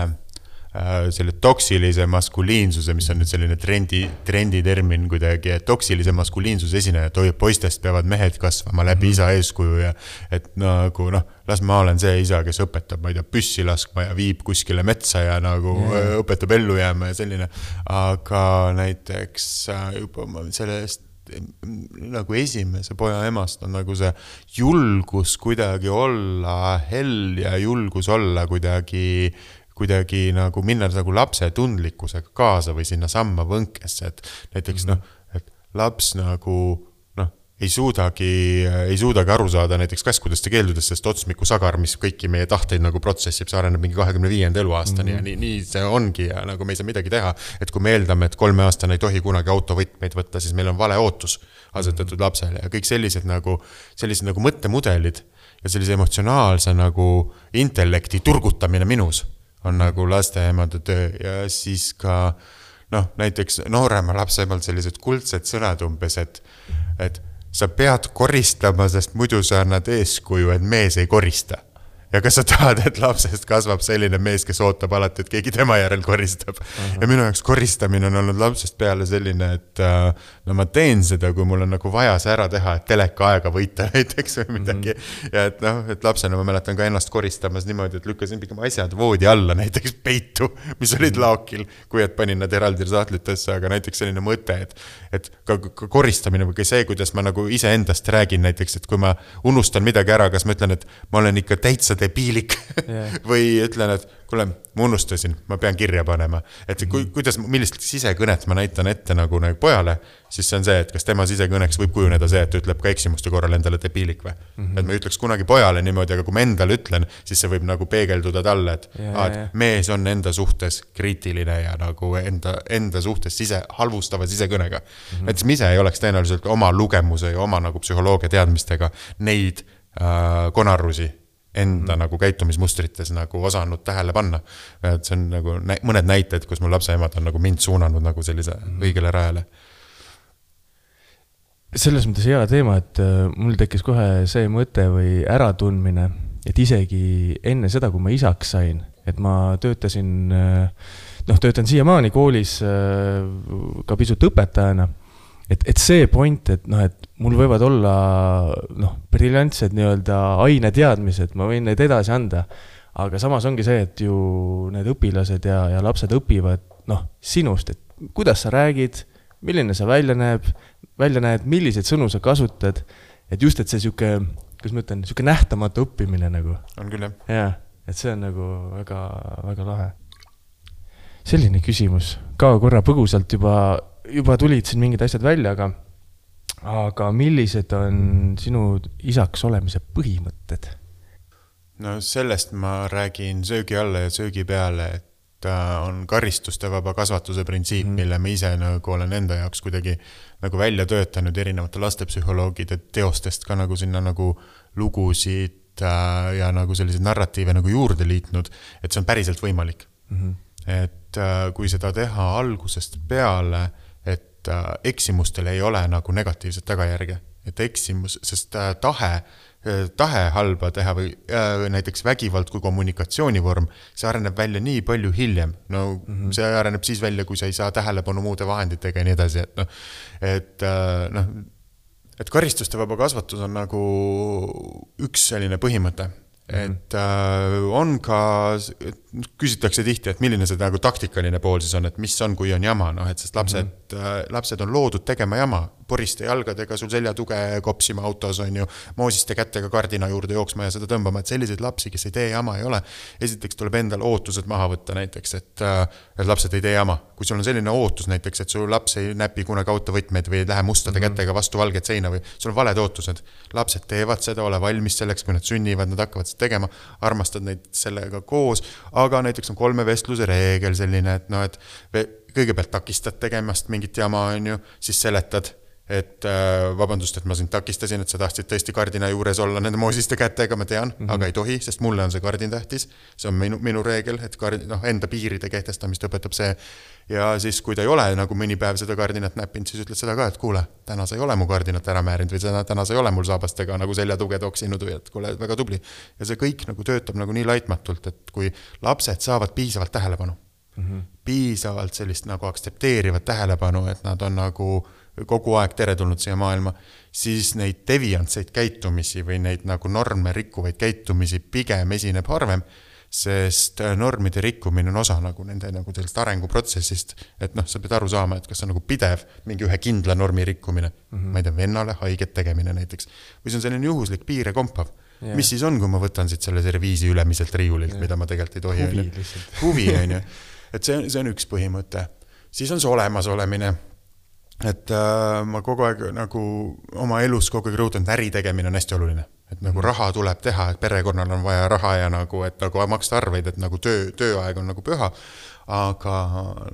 selle toksilise maskuliinsuse, mis on nüüd selline trendi, trendi termin kuidagi, et toksilise maskuliinsuse esineja, et poistest peavad mehed kasvama läbi isa eeskuju ja et nagu noh, las ma olen see isa, kes õpetab, ma ei tea, püssi laskma ja viib kuskile metsa ja nagu yeah. õpetab ellu jääma ja selline, aga näiteks juba sellest nagu esimese poja emast on nagu see julgus kuidagi olla hell ja julgus olla kuidagi, kuidagi nagu minna nagu lapse tundlikkusega kaasa või sinna samma võnkesse, et näiteks mm-hmm. noh, et laps nagu noh, ei suudagi, ei suudagi aru saada näiteks käskudest ja keeldudest, sest otsmiku sagar, mis kõiki meie tahteid nagu protsessib, see areneb mingi kahekümne viienda eluaastani mm-hmm. ja nii, nii see ongi ja nagu me ei saa midagi teha, et kui me eeldame, et kolme aastane ei tohi kunagi autovõtmeid võtta, siis meil on vale ootus asetatud mm-hmm. lapsele ja kõik sellised nagu, sellised nagu mõttemudelid ja sellise emotsionaalse nagu intellekti turgutamine minus on nagu lasteemade töö ja siis ka noh, näiteks noorema lapseemalt sellised kuldsed sõnad umbes, et, et sa pead koristama, sest muidu sa annad eeskuju, et mees ei korista. Ja kas sa tahad, et lapsest kasvab selline mees, kes ootab alati, et keegi tema järel koristab. Uh-huh. Ja minu jaoks koristamine on olnud lapsest peale selline, et no ma teen seda, kui mul on nagu vaja see ära teha, et teleka aega võita näiteks või midagi. Uh-huh. Ja et noh, et lapsena ma mäletan ka ennast koristamas niimoodi, et lükkasin pigem asjad voodi alla, näiteks peitu, mis olid uh-huh. laokil, kui et panin nad eraldi saatlitesse, aga näiteks selline mõte, et, et ka, ka koristamine või see, kuidas ma nagu ise endast räägin näiteks, et kui ma unustan midagi ära, kas ma ütlen, et ma olen ikka täitsa debiilik yeah. või ütlen, et kuule, ma unustasin, ma pean kirja panema. Et kui, kuidas, millist sisekõnet ma näitan ette nagu, nagu pojale, siis see on see, et kas tema sisekõneks võib kujuneda see, et ütleb ka eksimuste korral endale debiilik või. Mm-hmm. Et ma ütleks kunagi pojale niimoodi, aga kui ma endale ütlen, siis see võib nagu peegelduda talle, et, yeah, aa, et yeah. mees on enda suhtes kriitiline ja nagu enda, enda suhtes sise, halvustava sisekõnega. Mm-hmm. Et ma ise ei oleks tõenäoliselt oma lugemuse ja oma nagu psühholoogia teadmistega neid äh, konarrusi enda mm. nagu käitumismustrites nagu osanud tähele panna. Et see on nagu nä- mõned näited, kus mul lapseemad on nagu mind suunanud nagu sellise mm. õigele rajale. Selles mõttes hea teema, et mul tekkis kohe see mõte või äratundmine, et isegi enne seda, kui ma isaks sain, et ma töötasin, noh, töötan siiamaani koolis ka pisut õpetajana et, et see point, et noh, et mul võivad olla noh, briljantsed nii-öelda aineteadmised, ma võin neid edasi anda, aga samas ongi see, et ju need õpilased ja, ja lapsed õpivad noh, sinust, et kuidas sa räägid, milline sa välja näeb, välja näed, milliseid sõnu sa kasutad, et just, et see siuke, kuidas ma ütlen, siuke nähtamatu õppimine nagu. On küll, jah. Jaa, et see on nagu väga, väga lahe. Selline küsimus, ka korra põgusalt juba, juba tulid siin mingid asjad välja, aga, aga millised on sinu isaks olemise põhimõtted? No sellest ma räägin söögi alla ja söögi peale, et on karistuste vaba kasvatuse printsiip, mm. mille ma ise nagu olen enda jaoks kuidagi nagu välja töötanud erinevate lastepsühholoogide teostest ka nagu sinna nagu lugusid ja nagu selliseid narratiive nagu juurde liitnud, et see on päriselt võimalik. Mm-hmm. Et kui seda teha algusest peale, et eksimustel ei ole nagu negatiivset tagajärge, et eksimus, sest tahe, tahe halba teha või näiteks vägivald kui kommunikatsioonivorm, see areneb välja nii palju hiljem. No mm-hmm. see areneb siis välja, kui sa ei saa tähelepanu muude vahenditega ja nii edasi, et noh, et noh, et karistuste vaba kasvatus on nagu üks selline põhimõte. Et äh, on ka, küsitakse tihti, et milline see nagu taktikaline pool siis on, et mis on, kui on jama, noh, et sest lapsed, mm-hmm. äh, lapsed on loodud tegema jama, poriste jalgadega sul selja tuge kopsima autos on ju, moosiste kättega kardina juurde jooksma ja seda tõmbama, et selliseid lapsi, kes ei tee jama, ei ole. Esiteks tuleb endal ootused maha võtta näiteks, et, et lapsed ei tee jama. Kui sul on selline ootus näiteks, et su laps ei näpi kunagi autovõtmeid või ei lähe mustade mm-hmm. kättega vastu valget seina või sul on valed ootused. Lapsed teevad seda, ole valmis selleks, kui nad sünnivad, nad hakkavad seda tegema, armastad neid sellega koos, aga näiteks on kolme vestluse reegel selline, et no, et kõigepealt takistad tegemast mingit jama on ju, siis seletad, et äh, vabandust, et ma sind takistasin, et sa tahtsid tõesti kardina juures olla nende moosiste kätega, ma tean, mm-hmm. aga ei tohi, sest mulle on see kardin tähtis. See on minu, minu reegel, et kard, no, enda piiride kehtestamist õpetab see. Ja siis, kui ta ei ole nagu mõni päev seda kardinat näppinud, siis ütled seda ka, et kuule, täna sa ei ole mu kardinat ära määrinud või täna, täna sa ei ole mul saabastega nagu selja tuge toksinud või et kuule, väga tubli. Ja see kõik nagu töötab nagu nii laitmatult, et kui lapsed saavad piisavalt tähelepanu, mm-hmm. piisavalt sellist nagu aktsepteerivat tähelepanu, et nad on nagu kogu aeg teretulnud siia maailma, siis neid deviantseid käitumisi või neid nagu norme rikkuvaid käitumisi pigem esineb harvem, sest normide rikkumine on osa nagu nende nagu sellest arenguprotsessist, et noh, sa pead aru saama, et kas on nagu pidev mingi ühe kindla normi rikkumine, mm-hmm. ma ei tea, vennale haiget tegemine näiteks, või see on selline juhuslik piire kompav. Yeah. Mis siis on, kui ma võtan siit selle serviisi ülemiselt riiulilt, yeah. mida ma tegelikult ei tohi. Huvi, Huvi on ju. Et see, see on üks põhimõte. Siis on see olemas olemine. Et äh, ma kogu aeg nagu oma elus kogu aeg rõhutan, et äri tegemine on hästi oluline. Et nagu raha tuleb teha, et perekonnal on vaja raha ja nagu, et nagu maksta arveid, et nagu töö, tööaeg on nagu püha. Aga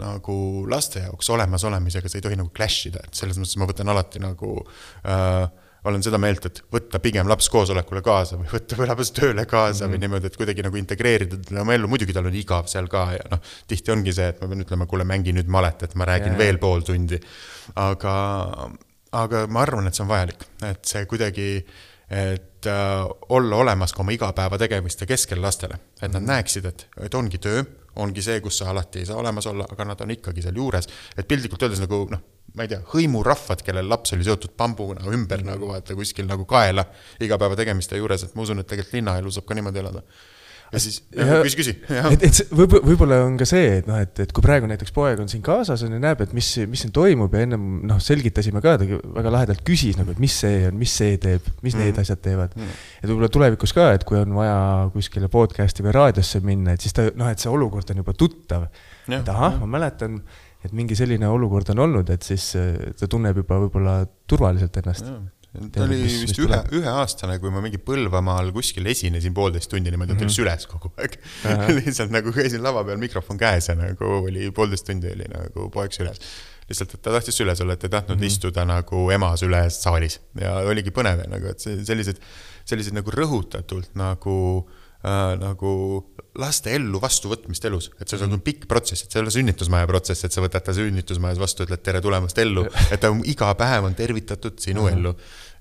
nagu laste jaoks olemas olemisega see ei tohi nagu clashida. Et selles mõttes ma võtan alati nagu... Äh, olen seda meelt, et võtta pigem laps koosolekule kaasa või võtta laps tööle kaasa mm-hmm. või niimoodi, et kuidagi nagu integreerida oma ellu. Muidugi tal on igav seal ka ja noh, tihti ongi see, et ma pean ütlema, kuule mängi nüüd malet, et ma räägin yeah. veel pool tundi. Aga, aga ma arvan, et see on vajalik, et see kuidagi, et äh, olla olemas ka oma igapäeva tegemiste keskel lastele, et mm-hmm. nad näeksid, et, et ongi töö, ongi see, kus sa alati ei saa olemas olla, aga nad on ikkagi seal juures, et pildikult öeldes nagu noh, ma ei tea, hõimurahvad, kellel laps oli seotud pambuna ümber mm-hmm. nagu vaata kuskil nagu kaela igapäeva tegemiste juures, et ma usun, et tegelikult linnaelu saab ka niimoodi elada. Ja siis, ja, küsi, küsi. Et, et võib, võib-olla on ka see, et, no, et, et kui praegu näiteks poeg on siin kaasas ja näeb, et mis, mis siin toimub ja ennem noh, selgitasime ka, ta väga lahedalt küsis, nagu, et mis see on, mis see teeb, mis mm-hmm. need asjad teevad. Mm-hmm. Et võib-olla tulevikus ka, et kui on vaja kuskile podcasti või raadiosse minna, et siis ta, noh, et see olukord on juba tuttav. Ja, et aha, ma mäletan, et mingi selline olukord on olnud, et siis ta tunneb juba võib-olla turvaliselt ennast. Ja. Ta oli mis, vist mis ühe, ühe aastane, kui ma mingi Põlvamaal kuskil esinesin poolteist tundi niimoodi, et mm-hmm. oli süles kogu aeg. Lihtsalt nagu käisin lava peal mikrofon käes ja nagu oli poolteist tundi oli nagu poeg süles. Lihtsalt, et ta tahtis süles olla, et ei tahtnud mm-hmm. istuda nagu ema süles saalis. Ja oligi põnev, nagu, et sellised, sellised nagu rõhutatult nagu Äh, nagu laste ellu vastu võtmist elus, et see on pikk protsess, et see ei ole sünnitusmaja protsess, et sa võtad ta sünnitusmajas vastu, ütled tere tulemast ellu, et ta iga päev on tervitatud sinu ellu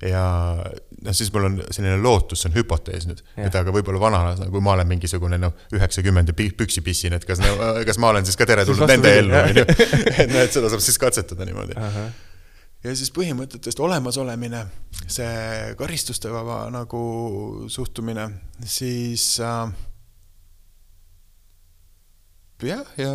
ja no, siis mul on selline lootus, see on hüpotees nüüd, ja. Et aga võib-olla vanalas, kui ma olen mingisugune no, üheksakümmend püksipissin, et kas, kas ma olen siis ka tere tulnud nende ellu, et, no, et seda saab siis katsetada niimoodi. Aha. ja siis põhimõtetest olemasolemine, see karistuste vaba nagu suhtumine, siis äh, jah, ja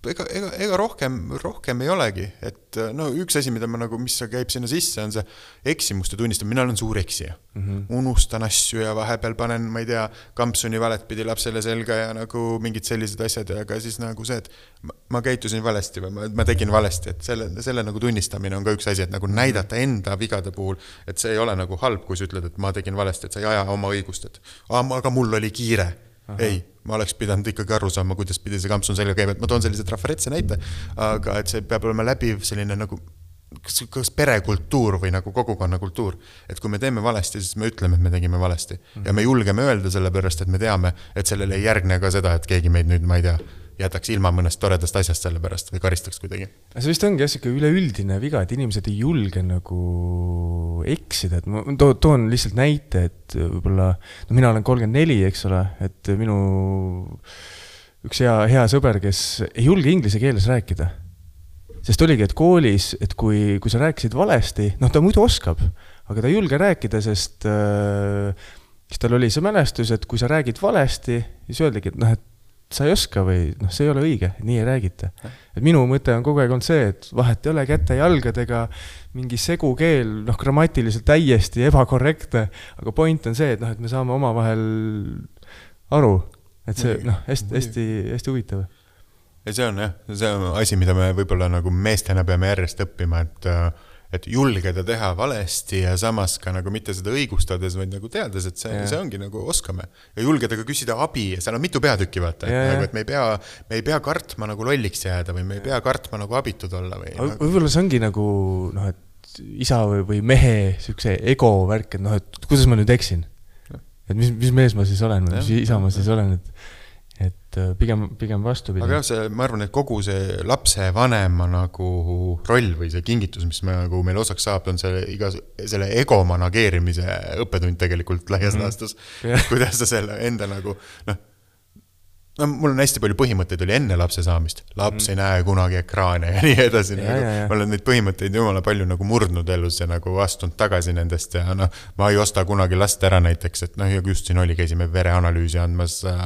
ega, ega, ega rohkem, rohkem ei olegi, et no üks asi, mida ma nagu, mis käib sinna sisse, on see eksimuste tunnistamine, mina olen suur eksija. Mm-hmm. Unustan asju ja vahepeal panen, ma ei tea, kampsuni valet pidi lapsele selga ja nagu mingid sellised asjad, aga siis nagu see, et ma, ma käitusin valesti või ma, ma tegin valesti, et selle, selle nagu tunnistamine on ka üks asi, et nagu näidata enda vigade puhul, et see ei ole nagu halb, kui sa ütled, et ma tegin valesti, et sa ei aja oma õigust, et aga mul oli kiire. Aha. Ei, ma oleks pidanud ikkagi aru saama, kuidas pidi see kampsun selga käib, et ma toon sellise trafaretse näite, aga et see peab olema läbiv selline nagu kas, kas perekultuur või nagu kogukonnakultuur, et kui me teeme valesti, siis me ütleme, et me tegime valesti mm-hmm. ja me julgeme öelda selle pärast, et me teame, et sellele ei järgne ka seda, et keegi meid nüüd, ma ei tea, jätaks ilma mõnest toredast asjast selle pärast või karistaks kuidagi. See vist ongi jah, üleüldine viga, et inimesed ei julge nagu eksida, et ma to- toon lihtsalt näite, et võib-olla, no mina olen kolmkümmend neli, eks ole, et minu üks hea, hea sõber, kes ei julge inglise keeles rääkida. Sest oligi, et koolis, et kui, kui sa rääkisid valesti, noh ta muidu oskab, aga ta ei julge rääkida, sest äh, siis tal oli see mälestus, et kui sa räägid valesti, siis öeldagi, et noh, et sa ei oska või noh, see ei ole õige, nii ei räägita. Et minu mõte on kogu aeg olnud see, et vahet ei ole käte jalgadega, mingi segukeel, noh grammatiliselt täiesti ebakorrektne, aga point on see, et noh, et me saame oma vahel aru, et see noh, hästi, hästi, hästi huvitav. Ja see on jah, see on asi, mida me võib-olla nagu meestena peame järjest õppima, et et julgeda teha valesti ja samas ka nagu mitte seda õigustades, vaid nagu teades, et see, see ongi nagu oskame. Ja julgeda ka küsida abi ja seal on mitu peatükki vaata, et, nagu, et me, ei pea, me ei pea kartma nagu lolliks jääda või me ei pea kartma nagu abitud olla. Või, nagu... Võib-olla see ongi nagu, noh, et isa või, või mehe siukse ego värk, et noh, et kuidas ma nüüd eksin? Et mis, mis mees ma siis olen, mis isa ma siis olen, et et pigem, pigem vastu pidi. Aga jah, see, ma arvan, et kogu see lapse vanema nagu roll või see kingitus, mis me, nagu meil osaks saab, on see iga, selle ego manageerimise õppetund tegelikult laias mm. laastus. Yeah. Kuidas sa selle enda nagu, noh, no mul on hästi palju põhimõtteid oli enne lapse saamist. Laps mm. ei näe kunagi ekraane ja nii edasi. Ja, nagu, ja, ja. Ma olen neid põhimõtteid jumala palju nagu murdnud elus ja nagu astunud tagasi nendest ja noh, ma ei osta kunagi last ära näiteks, et noh, just siin oli, käisime vereanalüüsi andmas äh,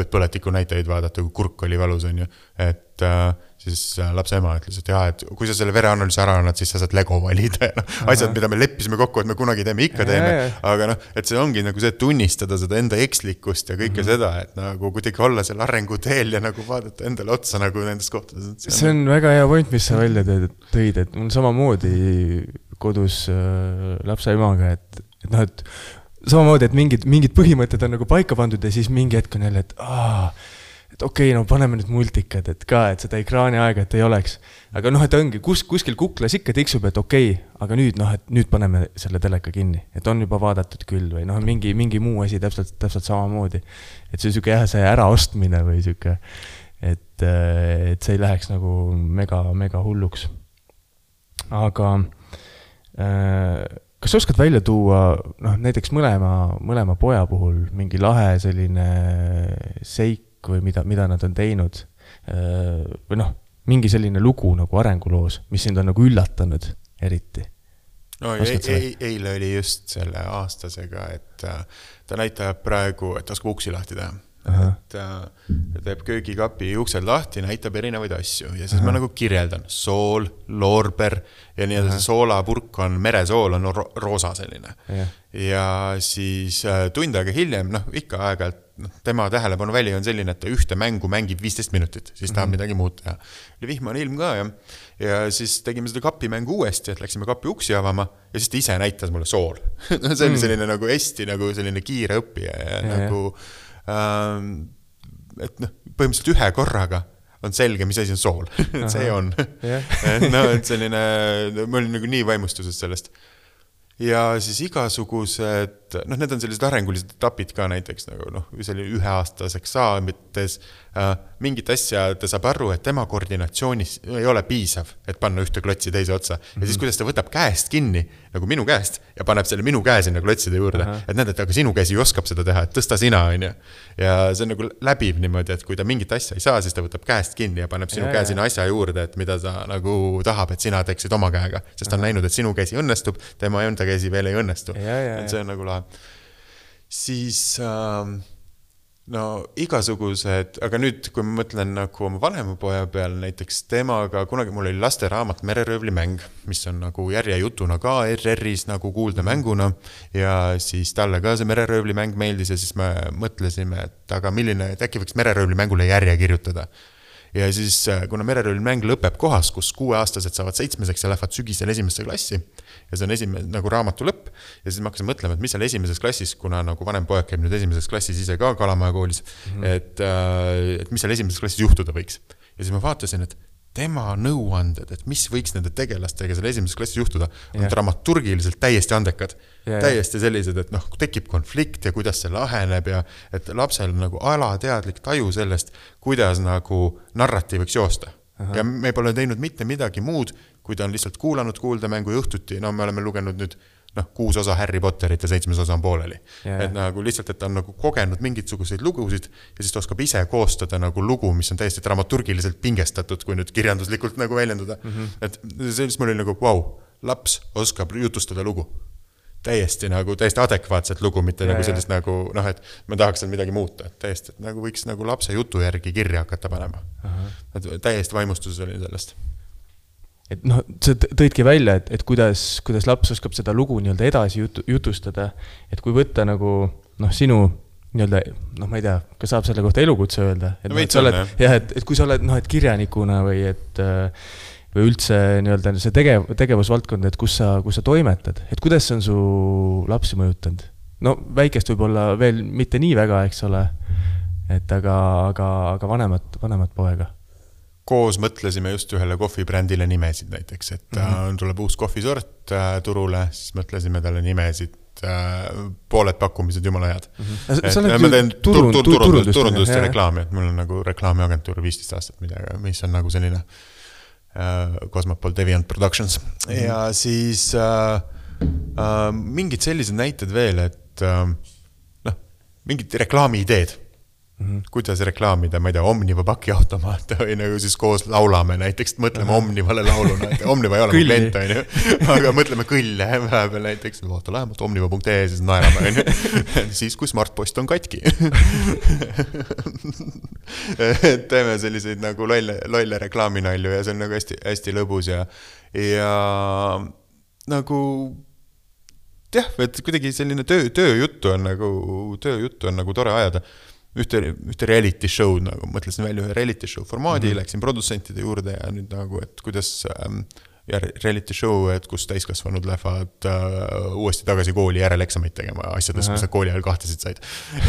põletiku näitajaid vaadata, kui kurk oli valus, on ju, et äh, siis lapse ema ütles, et jah, et kui sa selle vereanalüüsi ära annad, siis sa saad Lego valida ja noh, asjad, mida me leppisime kokku, et me kunagi teeme, ikka teeme, ja, ja. Aga noh, et see ongi nagu see tunnistada seda enda ekslikkust ja kõike mm-hmm. seda, et nagu kuidagi olla seal arenguteel ja nagu vaadata endale otsa nagu nendes kohtades. See on väga hea point, mis sa välja tõid, et mul samamoodi kodus äh, lapse emaga, et, et noh, et samamoodi, et mingid, mingid põhimõtted on nagu paika pandud ja siis mingi hetk on jälle, et aah, et okei, okay, no paneme nüüd multikad, et ka, et seda ekraani aega, et ei oleks. Aga noh, et ongi, kus, kuskil kuklas ikka tiksub, et okei, okay, aga nüüd, noh, et nüüd paneme selle teleka kinni, et on juba vaadatud küll või noh, mingi, mingi muu asi täpselt, täpselt samamoodi. Et see süke jah, see äraostmine või süke, et, et see ei läheks nagu mega, mega hulluks. Aga äh, kas sa oskad välja tuua, noh, näiteks mõlema, mõlema poja puhul mingi lahe selline seik või mida, mida nad on teinud või noh, mingi selline lugu nagu arenguloos, mis sind on nagu üllatanud eriti? No, e- e- eile oli just selle aastasega, et ta näitab praegu, et oskab uksi lahti teha. Aha. Et ta teeb köögikapi uksed lahti, näitab erinevaid asju ja siis Aha. ma nagu kirjeldan sool, loorber ja nii edasi soolapurk on, meresool on ro- roosa selline ja, ja siis tund aega hiljem, noh ikka aegalt no, tema tähelepanu väli on selline, et ta ühte mängu mängib viisteist minutit, siis tahab mm-hmm. midagi muud teha. Oli vihmane ilm ka ja, ja siis tegime seda kapimängu uuesti, et läksime kapi uksi avama ja siis ta ise näitas mulle sool. See oli selline mm. nagu hästi nagu selline kiire õppija ja, ja nagu Ähm, et noh, põhimõtteliselt ühe korraga on selge, mis asi on sool. Et see on. No, et selline, ma olin nagu nii vaimustuses sellest. Ja siis igasugused et noh, need on sellised arengulised etapid ka näiteks nagu noh, selline üheaastaseks saamites äh, mingit asja ta saab aru, et tema koordinatsioonis ei ole piisav, et panna ühte klotsi teise otsa. Mm-hmm. Ja siis kuidas ta võtab käest kinni, nagu minu käest, ja paneb selle minu käe sinna klotside juurde. Aha. Et näed, et aga sinu käsi oskab seda teha, et tõsta sina, on ju. Ja see on nagu läbiv niimoodi, et kui ta mingit asja ei saa, siis ta võtab käest kinni ja paneb sinu ja, käe sinna asja juurde, et mida ta nagu tahab, et sina teeksid oma käega. Sest ta on näinud, et sinu käsi õnnestub, tema enda käsi veel ei õnnestu. Ja, ja, et see on nagu lahe. Siis äh, no igasugused, aga nüüd, kui ma mõtlen nagu oma vanema poja peal, näiteks temaga, kunagi mul oli lasteraamat Mereröövli mäng, mis on nagu järjejutuna ka R R-is nagu kuulda mänguna ja siis talle ka see Mereröövli mäng meeldis ja siis me mõtlesime, et aga milline, et äkki võiks Mereröövli mängule järje kirjutada. Ja siis, kuna Mereröövli mäng lõpeb kohas, kus kuueaastased saavad seitsmeseks ja lähevad sügisel esimesse klassi ja see on esimene nagu raamatu lõpp ja siis ma hakkasin mõtlema, et mis seal esimeses klassis, kuna nagu vanem poeg käib nüüd esimeses klassis ise ka Kalamaja koolis, mm-hmm. et, et mis seal esimeses klassis juhtuda võiks. Ja siis ma vaatasin, et tema nõuanded, et mis võiks nende tegelastega selle esimeses klassis juhtuda, on yeah. dramaturgiliselt täiesti andekad. Yeah, täiesti sellised, et noh, tekib konflikt ja kuidas see laheneb ja et lapsel nagu alateadlik taju sellest, kuidas nagu narratiiviks joosta. Aha. Ja me pole teinud mitte midagi muud, kui ta on lihtsalt kuulanud kuuldamängu ja õhtuti, no me oleme lugenud nüüd noh, kuus osa Harry Potterit ja seitsmes osa on pooleli. Yeah. Et nagu lihtsalt, et ta on nagu kogenud mingisuguseid lugusid ja siis ta oskab ise koostada nagu lugu, mis on täiesti dramaturgiliselt pingestatud, kui nüüd kirjanduslikult nagu väljendada. Mm-hmm. Et sellist mul oli nagu, wow, laps oskab jutustada lugu. Täiesti nagu, täiesti adekvaatset lugu, mitte ja, nagu sellist ja. Nagu, noh, et ma tahaks seal midagi muuta. Et täiesti, et nagu võiks nagu lapse jutu järgi kirja hakata panema. Aha. Et täiesti vaimustus oli sellest. Et noh, sa tõidki välja, et, et kuidas, kuidas laps oskab seda lugu nii-öelda edasi jutu, jutustada, et kui võtta nagu noh, sinu nii-öelda, noh, ma ei tea, kas saab selle kohta elukutse öelda, et, no, et, sa oled, jah, et, et kui sa oled noh, et kirjanikuna või et või üldse nii-öelda see tegev, tegevusvaldkond, et kus sa, kus sa toimetad, et kuidas on su lapsi mõjutanud? No väikest võib-olla veel mitte nii väga, eks ole, et aga, aga, aga vanemat, vanemat poega. Koos mõtlesime just ühele kohvibrändile nimesid näiteks, et mm-hmm. tuleb uus kohvisort turule, siis mõtlesime talle nimesid, pooled pakkumised jumala head. Mm-hmm. Et, et ma teen turund, tur, tur, turundust, turundust ja reklaami, et mul on nagu reklaamiagentuur viisteist aastat midagi, mis on nagu selline Cosmopol Deviant Productions. Mm-hmm. Ja siis äh, äh, mingid sellised näited veel, et äh, noh, mingid reklaami-ideed. Mm-hmm. Kuidas reklaamida, ma ei tea, Omniva pakiautomaat või nagu siis koos laulame näiteks, mõtleme uh-huh. Omnivale lauluna, et Omniva ei ole mu klient, on ju, aga mõtleme kõlle vahepeal näiteks, vaata lähemalt omniva punkt ee, siis naerame, on ju, siis kui smartpost on katki. Teeme selliseid nagu lolle, lolle reklaaminalju ja see on nagu hästi, hästi lõbus ja, ja nagu jah, et kuidagi selline töö, tööjuttu on nagu, tööjuttu on nagu tore ajada. Ühte, ühte reality show, nagu mõtlesin välja ühe reality show formaadi, mm-hmm. läksin produtsentide juurde ja nüüd nagu, et kuidas ähm, ja reality show, et kus täiskasvanud lähevad äh, uuesti tagasi kooli järeleksamit tegema asjades, mis nad kooli ajal kahtesid said.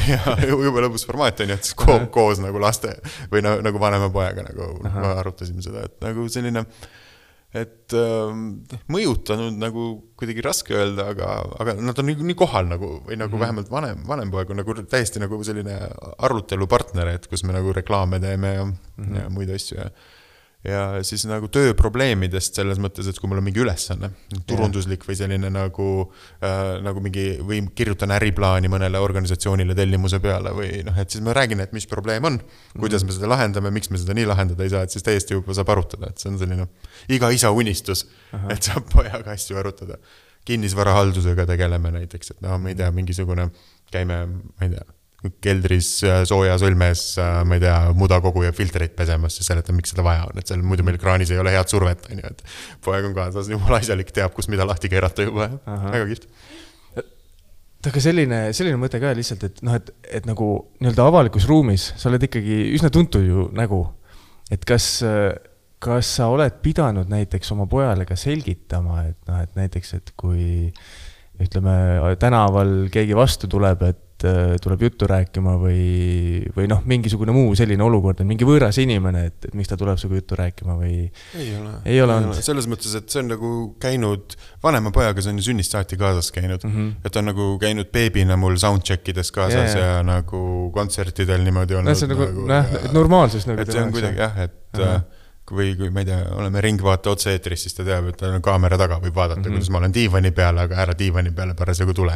Ja juba lõbus formaat on ju, et siis ko- koos nagu laste või na- nagu vanema poega nagu Aha. arutasime seda, et nagu selline et äh, mõjutanud nagu kuidagi raske öelda, aga, aga nad on nii, nii kohal nagu, või nagu mm-hmm. vähemalt vanem, vanem poeg on nagu täiesti nagu selline arutelupartner, et kus me nagu reklaame teeme ja, mm-hmm. ja muid asju ja, ja siis nagu tööprobleemidest selles mõttes, et kui mul on mingi ülesanne, turunduslik või selline nagu, äh, nagu mingi, või kirjutan äriplaani mõnele organisatsioonile tellimuse peale või noh, et siis ma räägin, et mis probleem on, kuidas me seda lahendame, miks me seda nii lahendada ei saa, et siis täiesti juba saab arutada, et see on selline iga isa unistus, Aha. et saab pojaga asju arutada. Kinnisvarahaldusega tegeleme näiteks, et no ma ei tea, mingisugune käime, ma ei tea, keldris sooja sõlmes, ma ei tea, mudakogu ja filtreid pesemas ja seletan, miks seda vaja on, et seal muidu meil kraanis ei ole head survet, on ju, et poeg on kaasas, jumala asjalik teab, kus mida lahti keerata juba, väga kihvt. Aga selline, selline mõte ka lihtsalt, et, noh, et, et nagu nii-öelda avalikus ruumis sa oled ikkagi üsna tuntud ju nägu, et kas, kas sa oled pidanud näiteks oma pojale ka selgitama, et, noh, et näiteks, et kui ütleme, tänaval keegi vastu tuleb, et et äh, tuleb juttu rääkima või, või noh, mingisugune muu selline olukord, et mingi võõras inimene, et, et miks ta tuleb sinuga juttu rääkima või ei ole, ei ole, ei ole. Selles mõttes, et see on nagu käinud vanema pojaga, see on ju sünnist saati kaasas käinud, mm -hmm. et on nagu käinud beebina mul soundcheckides kaasas yeah, ja, ja nagu kontsertidel niimoodi olnud. See on nagu, nagu näh, et normaalsus nagu et see on kuidagi jah, et uh-huh. või kui ma ei tea, oleme ringvaate otse-eetris, siis ta teab, et ta on kaamera taga, võib vaadata, mm -hmm. kuidas ma olen diivani peale, aga ära diivani peale parasjagu tule.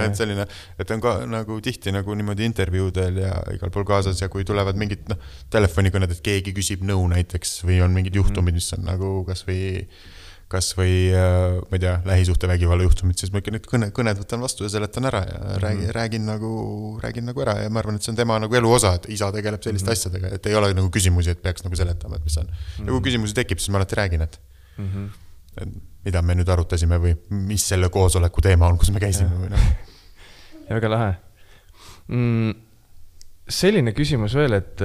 Et selline, et on ka nagu tihti nagu niimoodi intervjuudel ja igal pool kaasas ja kui tulevad mingid no, telefonikõned, et keegi küsib nõu näiteks või on mingid juhtumid, mis on nagu kas või kas või, ma ei tea, lähisuhte vägivalla juhtumid, siis ma ikka need kõne, kõned võtan vastu ja seletan ära ja mm -hmm. räägin, räägin, nagu, räägin nagu ära ja ma arvan, et see on tema nagu elu osa, et isa tegeleb selliste mm -hmm. asjadega, et ei ole nagu küsimusi, et peaks nagu seletama, et mis on. Ja kui küsimusi tekib, siis ma alati räägin, et, mm -hmm. et mida me nüüd arutasime või mis selle koosoleku teema on, kus me käisime ja. Või noh. Ja väga lahe. Mm, selline küsimus veel, et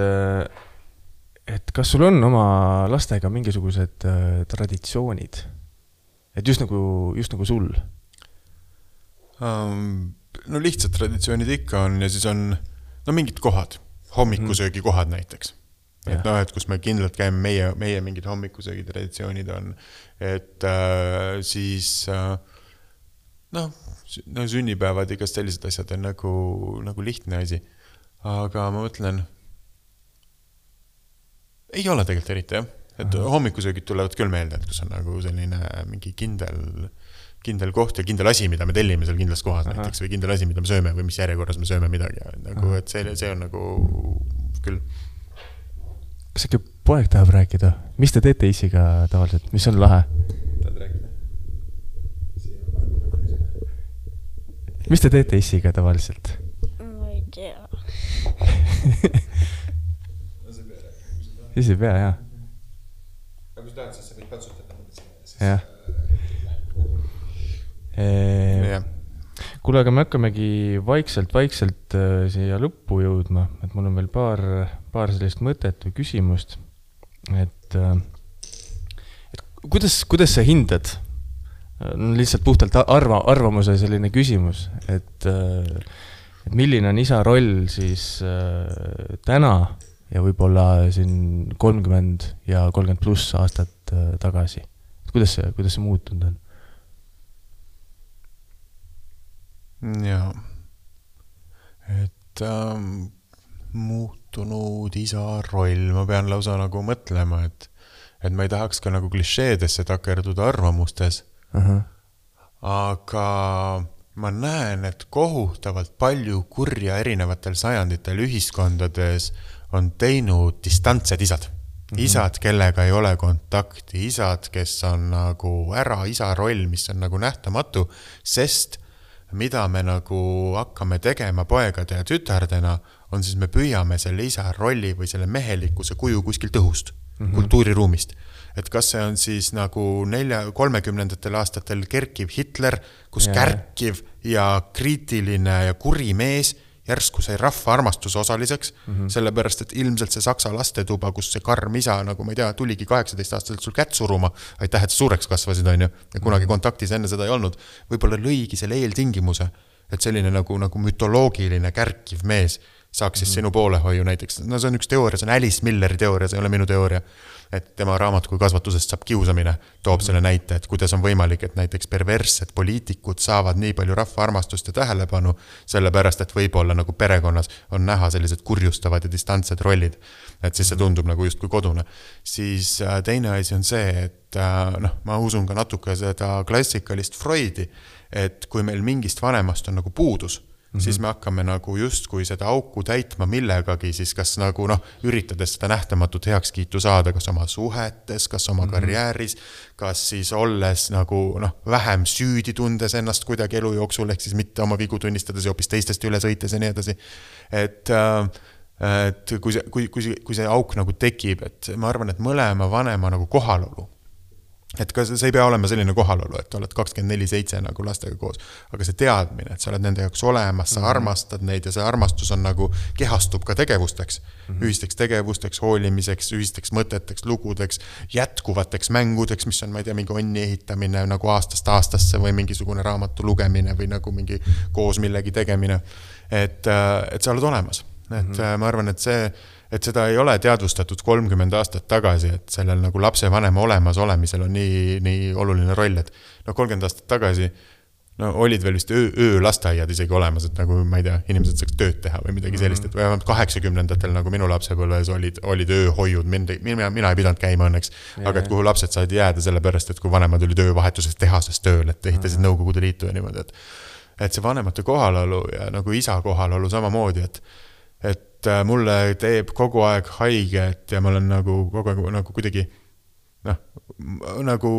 et kas sul on oma lastega mingisugused äh, traditsioonid? Et just nagu, just nagu sul? Um, no lihtsad traditsioonid ikka on ja siis on no mingid kohad, hommikusöögi mm. kohad näiteks. Et ja. No, et kus me kindlalt käime, meie, meie mingid hommikusöögi traditsioonid on, et äh, siis äh, noh, no, sünnipäevad igast sellised asjad on nagu, nagu lihtne asi. Aga ma mõtlen, ei ole tegelikult eriti, jah. Et Aha. hommikusöögid tulevad küll meelde, et kus on nagu selline mingi kindel, kindel koht ja kindel asi, mida me tellime seal kindlas kohas Aha. näiteks või kindel asi, mida me sööme või mis järjekorras me sööme midagi. Nagu, et see, see on nagu küll. Kas äkki poeg tahab rääkida? Mis te teete isiga tavaliselt? Mis on lahe? Tahad rääkida? Mis te teete isiga tavaliselt? Ma ei tea. Isi pea, jah. Aga kui tahad, siis sa võid patsutada. Jah. E... Kuule, aga me hakkamegi vaikselt-vaikselt äh, siia lõppu jõudma, et mul on veel paar, paar sellist mõtet või küsimust. Et, äh, et kuidas, kuidas sa hindad? Lihtsalt puhtalt arva, arvamuse selline küsimus, et, äh, et milline on isa roll siis äh, täna ja võib-olla siin kolmkümmend ja kolmkümmend pluss aastat äh, tagasi. Kuidas see, kuidas see muutunud on? Jaa. Et ähm, muutunud isa roll, ma pean lausa nagu mõtlema, et, et ma ei tahaks ka nagu klišeedesse takerduda arvamustes. Uh-huh. Aga ma näen, et kohutavalt palju kurja erinevatel sajanditel ühiskondades on teinud distantsed isad. Mm-hmm. Isad, kellega ei ole kontakti, isad, kes on nagu ära isa roll, mis on nagu nähtamatu, sest mida me nagu hakkame tegema poegade ja tütardena, on siis me püüame selle isa rolli või selle mehelikkuse kuju kuskilt õhust, mm-hmm. kultuuriruumist. Et kas see on siis nagu nelja, kolmekümnendatel aastatel kerkiv Hitler, kus yeah. kärkiv ja kriitiline ja kuri mees järsku sai rahva armastuse osaliseks, mm-hmm. sellepärast, et ilmselt see saksa lastetuba, kus see karm isa, nagu ma ei tea, tuligi kaheksateist aastaselt sul kätt suruma, aitäh, et suureks kasvasid, on ju, ja kunagi kontaktis enne seda ei olnud, võib-olla lõigi selle eeltingimuse, et selline nagu, nagu mütoloogiline kärkiv mees saaks siis mm-hmm. sinu poolehoiu näiteks, no see on üks teooria, see on Alice Milleri teooria, see ei ole minu teooria, et tema raamat kui kasvatusest saab kiusamine, toob mm-hmm. selle näite, et kuidas on võimalik, et näiteks perverssed poliitikud saavad nii palju rahva armastust ja tähelepanu, sellepärast, et võib-olla nagu perekonnas on näha sellised kurjustavad ja distantsed rollid, et siis see tundub nagu just kui kodune. Siis teine asi on see, et noh, ma usun ka natuke seda klassikalist Freudi, et kui meil mingist vanemast on nagu puudus, Mm-hmm. siis me hakkame nagu just kui seda auku täitma millegagi, siis kas nagu noh, üritades seda nähtamatut heakskiitu saada, kas oma suhetes, kas oma mm-hmm. karjääris, kas siis olles nagu noh, vähem süüdi tundes ennast kuidagi elu jooksul, ehk siis mitte oma vigu tunnistades ja hoopis teistest üle sõites ja nii edasi. Et, et kui, see, kui, kui, kui see auk nagu tekib, et ma arvan, et mõlema vanema nagu kohalolu et ka see ei pea olema selline kohalolu, et oled kakskümmend neli seitse nagu lastega koos, aga see teadmine, et sa oled nende jaoks olemas, sa mm-hmm. armastad neid ja see armastus on nagu kehastub ka tegevusteks, mm-hmm. ühisteks tegevusteks, hoolimiseks, ühisteks mõteteks, lugudeks, jätkuvateks mängudeks, mis on, ma ei tea, mingi onni ehitamine nagu aastast aastasse või mingisugune raamatu lugemine või nagu mingi koos millegi tegemine, et, et sa oled olemas. Et mm-hmm. ma arvan, et see et seda ei ole teadvustatud kolmkümmend aastat tagasi, et sellel nagu lapse vanema olemas olemisel on nii, nii oluline roll, et no kolmkümmend aastat tagasi no olid veel vist öö, öö lasteaiad isegi olemas, et nagu ma ei tea, inimesed saaks tööd teha või midagi sellist, et vähemalt kaheksakümnendatel nagu minu lapsepõlves olid, olid ööhoiud, mina, mina ei pidanud käima õnneks, ja, aga et kuhu lapsed said jääda sellepärast, et kui vanemad olid öövahetuses tehases tööl, et ehitasid Nõukogude Liitu ja niimoodi, et, et see vanemate kohalolu ja nagu isa kohalolu samamoodi, et et mulle teeb kogu aeg haiget ja ma olen nagu kogu aeg nagu kuidagi noh, nagu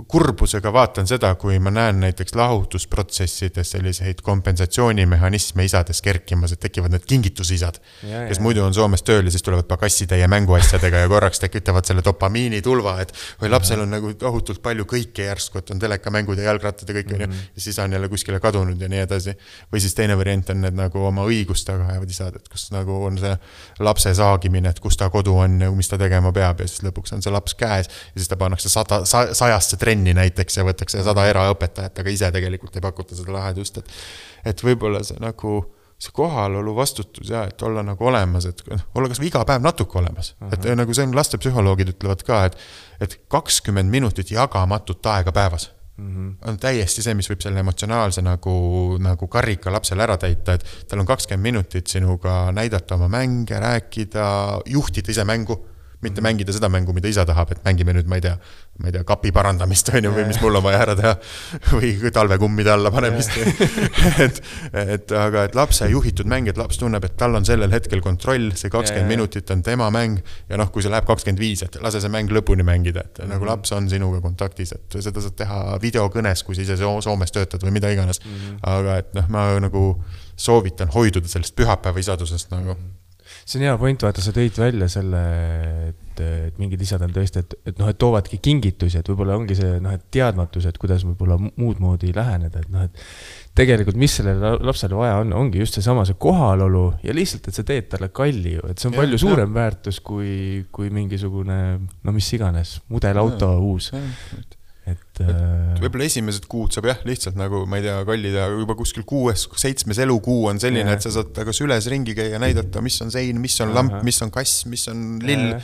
kurbusega vaatan seda, kui ma näen näiteks lahutusprotsessides selliseid kompensatsioonimehhanisme isades kerkimas, et tekivad need kingitusisad, ja, kes ja. muidu on Soomes tööl ja siis tulevad pagassitäie mänguasjadega ja korraks tekitavad selle dopamiini tulva, et või lapsel on nagu tohutult palju kõike järsku, et on telekamängud ja jalgrattad ja kõik mm -hmm. ja siis on jälle kuskile kadunud ja nii edasi. Või siis teine variant on need nagu oma õigustega ajavad isad, et kus nagu on see lapse saagimine, et kus ta kodu on ja mis ta tegema peab ja siis lõpuks on see laps käes ja siis ta pannakse sada, sajasse trenni näiteks ja võtakse sada eraõpetajat, aga ise tegelikult ei pakuta seda lahedust, et, et võib-olla see nagu see kohalolu vastutus ja et olla nagu olemas, et olla kas või iga päev natuke olemas, uh-huh. et nagu see on lastepsühholoogid ütlevad ka, et, et kakskümmend minutit jagamatut aega päevas uh-huh. on täiesti see, mis võib selle emotsionaalse nagu, nagu karika lapsele ära täita, et tal on kakskümmend minutit sinuga näidata oma mänge, rääkida, juhtida ise mängu, mitte mängida seda mängu, mida isa tahab, et mängime nüüd, ma ei tea, ma ei tea, kapi parandamist või, või mis mul on vaja ära teha või talvekummide alla panemist. et, et, aga et lapse juhitud mäng, et laps tunneb, et tal on sellel hetkel kontroll, see kakskümmend minutit on tema mäng ja noh, kui see läheb kakskümmend viis, et lase see mäng lõpuni mängida, et mm-hmm. nagu laps on sinuga kontaktis, et seda saad teha videokõnes, kui sa ise Soomes töötad või mida iganes. Mm-hmm. Aga et noh, ma nagu soovitan hoiduda sellest pühapäeva isadusest nagu. See on hea point, vaata, sa tõid välja selle, et, et mingid isad on tõesti, et, et, noh, et toovadki kingitusi, et võib-olla ongi see noh, et teadmatus, et kuidas võib-olla muud moodi läheneda, et noh, et tegelikult mis sellele lapsele vaja on, ongi just see sama see kohalolu ja lihtsalt, et sa teed talle kalli ju, et see on ja, palju suurem ja. väärtus kui, kui mingisugune, no mis iganes, mudelauto ja, uus. Ja. Et, et võib-olla esimesed kuud saab jah, lihtsalt nagu, ma ei tea, kallida juba kuskil kuues, seitsmes elukuu on selline, ja. et sa saad aga süles ringi käia näidata, mis on sein, mis on lamp, mis on kass, mis on lill. Ja.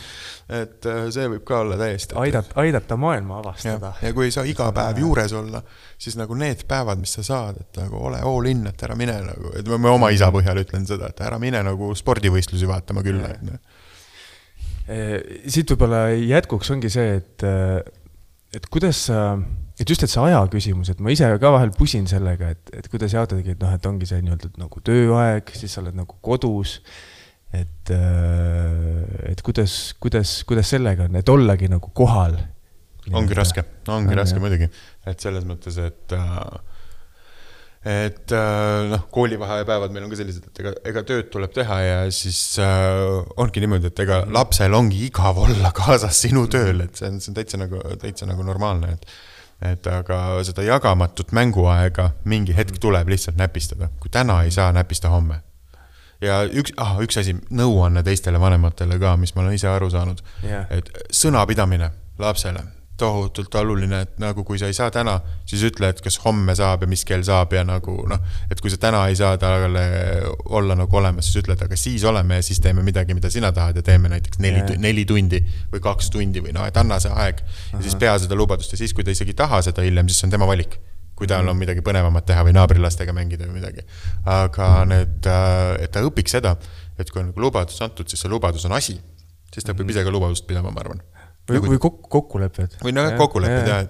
Et see võib ka olla täiesti. Aidat, aidata maailma avastada. Ja, ja kui ei saa iga päev juures olla, siis nagu need päevad, mis sa saad, et nagu ole all in, et ära mine nagu, et ma oma isa põhjal ütlen seda, et ära mine nagu spordivõistlusi vaatama küll. Siit võib-olla jätkuks ongi see, et et kuidas sa, et just et see aja küsimus, et ma ise ka vahel pusin sellega, et, et kuidas jaotadagi, et noh, et ongi see nii-öelda nagu tööaeg, siis sa oled nagu kodus, et, et kuidas, kuidas, kuidas sellega on, et ollagi nagu kohal. Ongi raske, ongi on, raske jah. Muidugi, et selles mõttes, et et noh, koolivahepäevad meil on ka sellised, et ega, ega tööd tuleb teha ja siis äh, ongi niimoodi, et ega lapsel ongi igav olla kaasas sinu tööl, et see on, see on täitsa nagu, täitsa nagu normaalne, et, et aga seda jagamatut mänguaega mingi hetk tuleb lihtsalt näpistada, kui täna ei saa näpista homme. Ja üks, ah, üks asi, nõuanne teistele vanematele ka, mis ma olen ise aru saanud, yeah. et sõnapidamine lapsele, tohutult oluline, et nagu kui sa ei saa täna, siis ütle, et kas homme saab ja mis kell saab ja nagu noh, et kui sa täna ei saa talle olla nagu olemas, siis ütled, aga siis oleme ja siis teeme midagi, mida sina tahad ja teeme näiteks neli, yeah. neli tundi või kaks tundi või noh, et anna see aeg ja siis pea seda lubadust ja siis, kui ta isegi taha seda hiljem, siis on tema valik, kui tal on midagi põnevamat teha või naabrilastega mängida või midagi. Aga need, et ta õpiks seda, et kui on nagu lubadus antud, siis see lubadus on asi, siis ta võib ise ka lubadust pidama, ma arvan. Või, või kokkulepped. Või no kokkulepped, jah.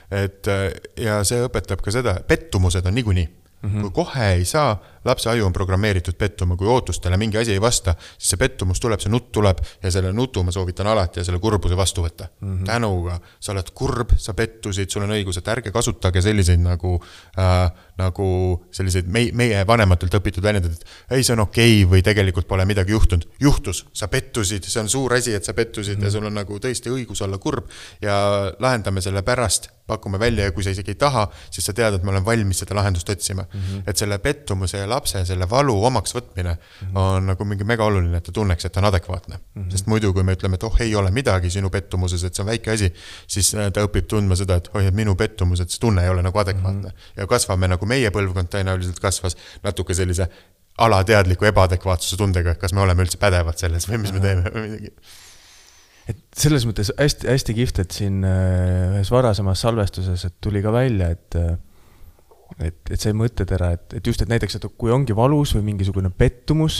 Et, et, ja see õpetab ka seda, pettumused on niikuinii. Mm-hmm. Kui kohe ei saa, lapse aju on programmeeritud pettuma, kui ootustele mingi asi ei vasta, siis see pettumus tuleb, see nutt tuleb ja selle nutu ma soovitan alati ja selle kurbuse vastu võtta. Mm-hmm. Tänuga, sa oled kurb, sa pettusid, sul on õigus, et ärge kasutage selliseid nagu, äh, nagu selliseid meie, meie vanematelt õpitud väljendad, et ei, see on okei või tegelikult pole midagi juhtunud. Juhtus, sa pettusid, see on suur asi, et sa pettusid mm-hmm. ja sul on nagu tõesti õigus olla kurb ja lahendame selle pärast, pakume välja ja kui sa isegi ei taha, siis sa tead, et ma olen valmis seda lahendust otsima. Mm-hmm. Et selle pettumuse ja lapse, selle valu omaks võtmine mm-hmm. on nagu mingi mega oluline, et ta tunneks, et ta on adekvaatne. Mm-hmm. Sest muidu, kui me ütleme, et oh, ei ole midagi sinu pettumuses, et see on väike asi, siis ta õpib tundma seda, et oh, et minu pettumus, et see tunne ei ole nagu adekvaatne. Mm-hmm. Ja kasvame nagu meie põlvkond tõenäoliselt kasvas natuke sellise alateadliku ebaadekvaatsuse tundega, kas me oleme üldse pädevad selles või mis me teeme või midagi. Et selles mõttes hästi, hästi kihvt, et siin ühes varasemas salvestuses et tuli ka välja, et, et, et see mõttetera, et, et just, et näiteks, et kui ongi valus või mingisugune pettumus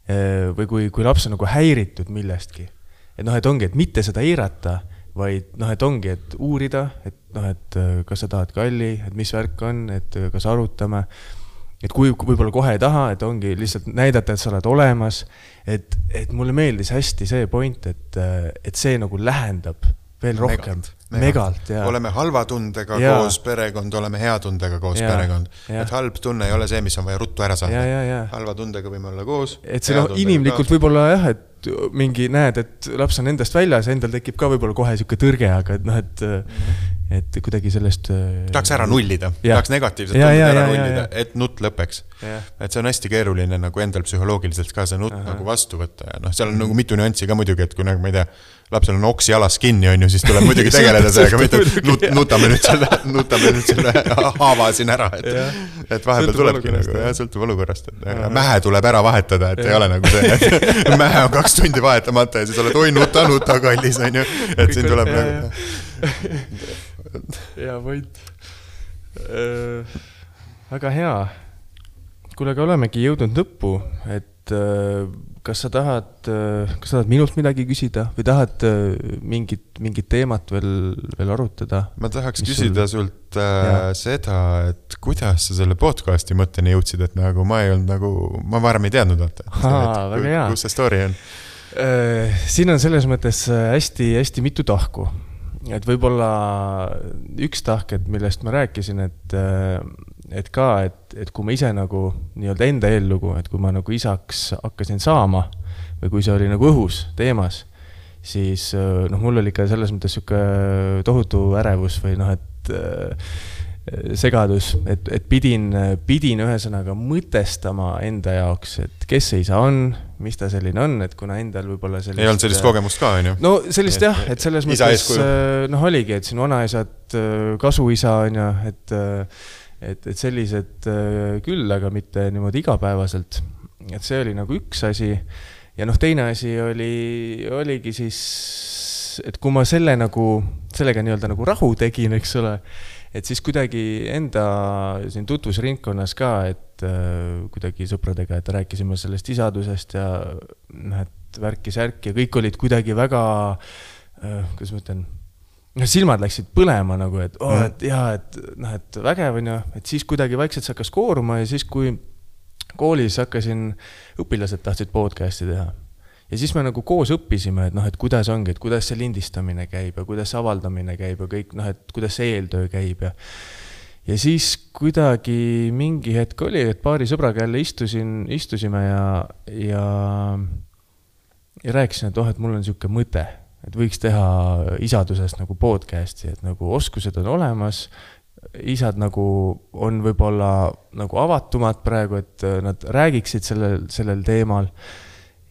või kui, kui laps on nagu häiritud millestki, et noh, et ongi, et mitte seda eirata, vaid noh, et ongi, et uurida, et noh, et kas sa tahad kalli, et mis värk on, et kas arutame, et kui võib-olla kohe ei taha, et ongi lihtsalt näidata, et sa oled olemas, et, et mulle meeldis hästi see point, et, et see nagu lähendab veel rohkem. Megalt, megalt. megalt ja. Oleme halva tundega ja. Koos perekond, oleme hea tundega koos ja. Perekond. Ja. Et halb tunne ei ole see, mis on vaja ruttu ära saada. Ja, ja, ja. Halva tundega võime olla koos. Et see no, inimlikult ka. Võib-olla jah, et mingi näed, et laps on endast väljas, endal tekib ka võib-olla kohe siuke tõrge, aga et noh, et, mm-hmm. et kuidagi sellest... Tahaks ära nullida, ja. Tahaks negatiivset ja, tunded ja, ära ja, nullida, ja, ja. Et nutt lõpeks. Ja. Et see on hästi keeruline nagu endal psühholoogiliselt ka see nutt Aha. Nagu vastu võtta. Ja noh, seal on nagu mitu nüanssi ka muidugi, et kui nagu ma ei tea, lapsel on oksi alas kinni, on ju, siis tuleb muidugi tegeleda sellega, mitte nut, nutame, nüüd selle, nutame nüüd selle haava siin ära, et, et vahepeal tulebki nagu, jah, sõltub olukorrast, et Aha. Mähe tuleb ära vahetada, et ja. Ei ole nagu see, et mähe on kaks tundi vahetamata ja siis oled, oi, nuta, nuta, kallis, on ju, et siin tuleb ja, nagu... ja, võit. Äh, väga hea. Kuule, aga olemegi jõudnud lõppu, et äh, kas sa tahad, kas sa tahad minult midagi küsida või tahad mingit, mingit teemat veel, veel arutada? Ma tahaks küsida sul... sult äh, seda, et kuidas sa selle podcasti mõtteni jõudsid, et nagu ma ei olnud nagu, ma varem ei teadnud, vaata. Haa, väga hea. Kus see story on? Äh, siin on selles mõttes hästi, hästi mitu tahku. Et võib-olla üks tahk, et millest ma rääkisin, et, et ka, et, et kui ma ise nagu nii-öelda enda eellugu, et kui ma nagu isaks hakkasin saama või kui see oli nagu õhus teemas, siis noh, mul oli ka selles mõttes siuke tohutu ärevus või noh, et segadus, et, et pidin, pidin ühesõnaga mõtestama enda jaoks, et kes see isa on, mis ta selline on, et kuna endal võib-olla sellist... Ei olnud sellist kogemust ka, on ju? No sellist jah, et selles mõttes noh oligi, et siin vanaisad kasuisa on ju, et, et, et sellised küll, aga mitte niimoodi igapäevaselt. Et see oli nagu üks asi ja noh, teine asi oli, oligi siis, et kui ma selle nagu, sellega nii-öelda nagu rahu tegin, eks ole, et siis kuidagi enda siin tutvusringkonnas ka, et äh, kuidagi sõpradega, et rääkisime sellest isadusest ja noh, et värki-särki ja kõik olid kuidagi väga, äh, kuidas ma ütlen, silmad läksid põlema nagu, et, oh, et jah, et, noh, et vägev on ju, et siis kuidagi vaikselt see hakkas kooruma ja siis, kui koolis hakkasin, õpilased tahtsid podcasti teha. Ja siis me nagu koos õppisime, et noh, et kuidas ongi, et kuidas see lindistamine käib ja kuidas avaldamine käib ja kõik, noh, et kuidas see eeltöö käib ja ja siis kuidagi mingi hetk oli, et paari sõbraga jälle istusin, istusime ja ja ja rääkisin, et oh, et mul on siuke mõte, et võiks teha isadusest nagu podcasti, et nagu oskused on olemas, isad nagu on võib-olla nagu avatumad praegu, et nad räägiksid sellel, sellel teemal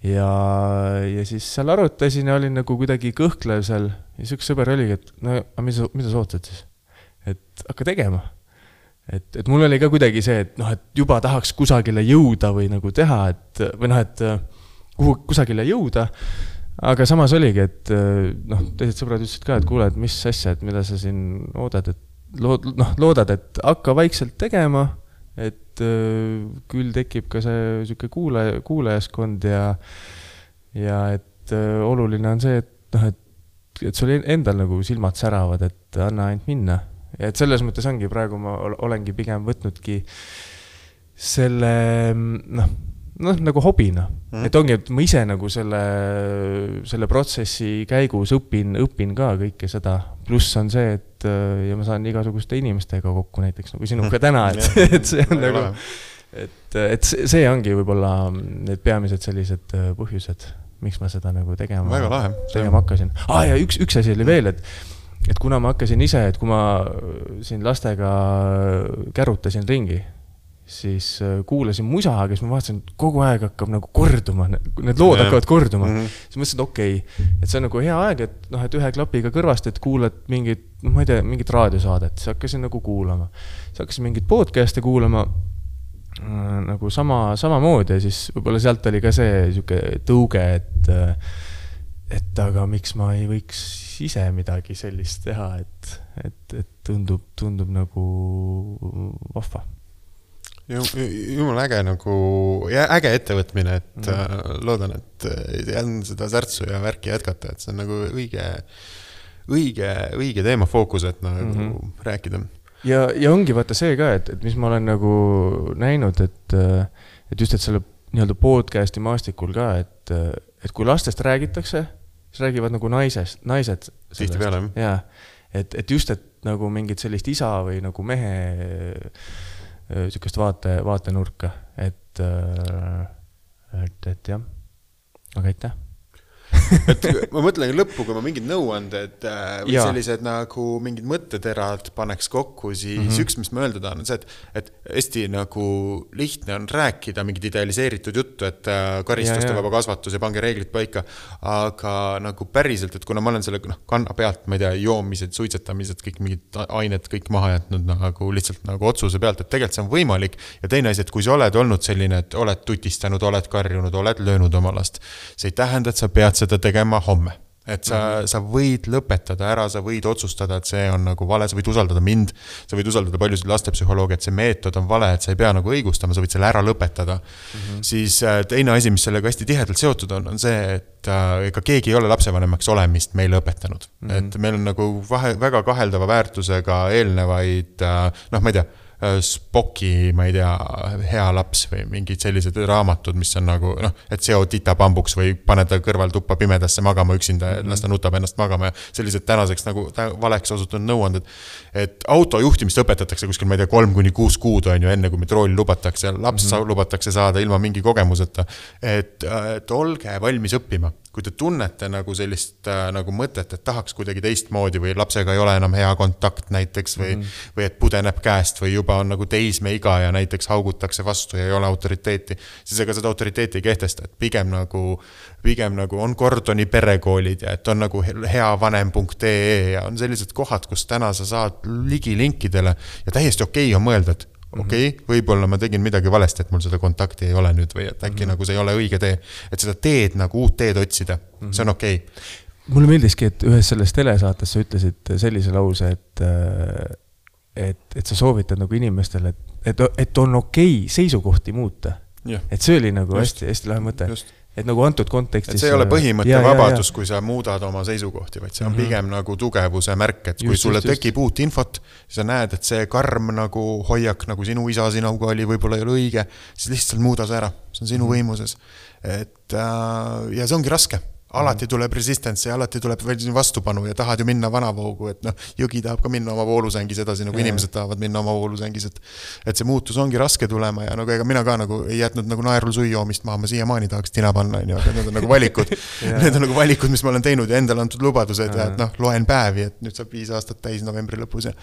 ja, ja siis seal arutasin ja olin nagu kuidagi kõhklev seal ja see üks sõber oligi, et no mida, mida sa ootad siis? Et hakka tegema. Et, et mul oli ka kuidagi see, et noh, et juba tahaks kusagile jõuda või nagu teha, et või noh, et kuhu, kusagile jõuda, aga samas oligi, et noh, teised sõbrad ütlesid ka, et kuule, et mis asja, et mida sa siin oodad, et lood, noh, loodad, et hakka vaikselt tegema, et äh, küll tekib ka see siuke kuule, kuulajaskond ja, ja et äh, oluline on see, et, noh, et, et sul endal nagu silmad säravad, et anna ainult minna. Ja et selles mõttes ongi praegu ma olengi pigem võtnudki selle, noh, noh, nagu hobina. Mm. Et ongi, et ma ise nagu selle, selle protsessi käigus õpin, õpin ka kõike seda. Pluss on see, et ja ma saan igasuguste inimestega kokku näiteks nagu sinuga täna, et, et see on nagu, et, et see ongi võib-olla need peamised sellised põhjused, miks ma seda nagu tegema, tegema hakkasin. Ah, ja üks, üks asi oli veel, et, et kuna ma hakkasin ise, et kui ma siin lastega kärutasin ringi, siis kuulasin musa, kes ma vaatasin, kogu aeg hakkab nagu korduma, need lood ja. hakkavad korduma. Mm-hmm. Siis mõtlesin, et okei, okay, et see on nagu hea aeg, et, noh, et ühe klapiga kõrvast, et kuulad mingit, noh, ma ei tea, mingit raadiosaadet, siis hakkasin nagu kuulama. Siis hakkasin mingit podcast'e kuulama äh, nagu sama, sama moodi ja siis võib-olla sealt oli ka see siuke tõuge, et, et aga miks ma ei võiks ise midagi sellist teha, et, et, et tundub, tundub nagu vahva. Jumala äge nagu, äge ettevõtmine, et mm. loodan, et jään seda särtsu ja värki jätkata, et see on nagu õige, õige, õige teema fookus, et nagu mm-hmm. rääkida. Ja, ja ongi vaata see ka, et, et mis ma olen nagu näinud, et, et just, et selle nii-öelda podcasti maastikul ka, et, et kui lastest räägitakse, siis räägivad nagu naisest, naised. Tihti peale. Ja, et, et just, et nagu mingid sellist isa või nagu mehe sükest vaate, vaatenurka, et, et, et jah, aga aitäh. et ma mõtlen lõppu, kui ma mingid nõuanded või ja. sellised nagu mingid mõtteterad paneks kokku, siis mm-hmm. üks, mis ma öeldud on, on see, et, et hästi nagu lihtne on rääkida mingid idealiseeritud juttu, et karistuste vaba kasvatus ja pange reeglid paika, aga nagu päriselt, et kuna ma olen selle no, kanna pealt, ma ei tea, joomised, suitsetamised, kõik mingid ained kõik maha jätnud nagu lihtsalt nagu otsuse pealt, et tegelikult see on võimalik ja teine asi, et kui sa oled olnud selline, et oled tutistanud, oled karjunud, oled löönud oma last, see ei tähenda, et sa pead seda tegema homme. Et sa, mm-hmm. sa võid lõpetada ära, sa võid otsustada, et see on nagu vale, sa võid usaldada mind, sa võid usaldada paljusid lastepsühholoogi, et see meetod on vale, et sa ei pea nagu õigustama, sa võid selle ära lõpetada. Mm-hmm. Siis teine asi, mis sellega hästi tihedalt seotud on, on see, et ega keegi ei ole lapsevanemaks olemist meile õpetanud. Mm-hmm. Et meil on nagu vahe, väga kaheldava väärtusega eelnevaid, noh, ma ei tea, Spocki, ma ei tea, hea laps või mingid sellised raamatud, mis on nagu, noh, et seo tita pambuks või pane ta kõrval tuppa pimedasse magama üksinda, mm-hmm. las ta nutab ennast magama ja sellised tänaseks nagu valeks osutunud nõuanded. Et autojuhtimist õpetatakse kuskil, ma ei tea, kolm kuni kuus kuud on ju enne, kui me trooli lubatakse ja laps mm-hmm. lubatakse saada ilma mingi kogemuseta. Et, et olge valmis õppima. Kui te tunnete nagu sellist nagu mõtet, et tahaks kuidagi teistmoodi või lapsega ei ole enam hea kontakt näiteks või, mm. või et pudeneb käest või juba on nagu teisme iga ja näiteks haugutakse vastu ja ei ole autoriteeti, siis ega seda autoriteeti ei kehtesta, et pigem nagu, pigem nagu on Gordoni perekoolid ja et on nagu heavanem punkt ee ja on sellised kohad, kus täna sa saad ligi linkidele ja täiesti okei on mõelda, et okei, okay, võib-olla ma tegin midagi valesti, et mul seda kontakti ei ole nüüd või et äkki mm-hmm. nagu see ei ole õige tee. Et seda teed nagu uut teed otsida, mm-hmm. see on okei. Okay. Mulle meeldiski, et ühes selles telesaates sa ütlesid sellise lause, et, et, et sa soovitad nagu inimestele, et, et, et on okei seisukohti muuta. Ja. Et see oli nagu just, hästi, hästi lahe mõte. Just. Et nagu antud kontekstis... Et see ei ole põhimõtte ja, vabadus, ja, ja. kui sa muudad oma seisukohti, vaid see on mm-hmm. pigem nagu tugevuse märk, et kui just, sulle just, tekib just. Uut infot, siis sa näed, et see karm nagu hoiak, nagu sinu isa sinuga oli, võib-olla ei ole õige, siis lihtsalt muuda see ära. See on sinu mm-hmm. võimuses. Et, äh, ja see ongi raske. Alati tuleb resistance ja alati tuleb vastupanu ja tahad ju minna vanavoogu, et noh, jõgi tahab ka minna oma voolusängis edasi, nagu ja, inimesed tahavad minna oma voolusängis, et, et see muutus ongi raske tulema ja nagu ega mina ka nagu ei jätnud nagu naerul suijoomist maha, ma siiamaani tahaks tina panna, aga need on nagu valikud, need on nagu valikud, mis ma olen teinud ja endal antud lubadused ja et noh, loen päevi, et nüüd saab viis aastat täis novembri lõpus ja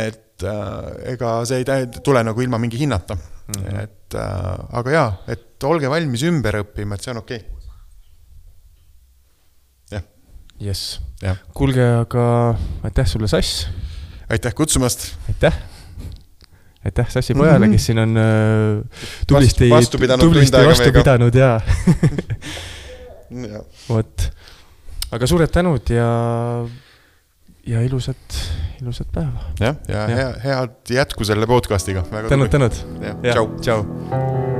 et äh, ega see ei tule nagu ilma mingi hinnata, mm-hmm. et äh, aga jaa, et olge valmis ümber õppima, et see on okei. Yes. Ja. Kuulge, aga aitäh sulle, Sass. Aitäh kutsumast. Aitäh. Aitäh Sassi pojale, kes siin on äh, tublisti vastu pidanud, tublisti vastu pidanud ja. ja. Vot. Aga suured tänud ja, ja ilusat, ilusat päeva. Ja, ja, ja. Hea, head jätku selle podcastiga. Tänud, tänud. Ja, ja. Tšau. Tšau.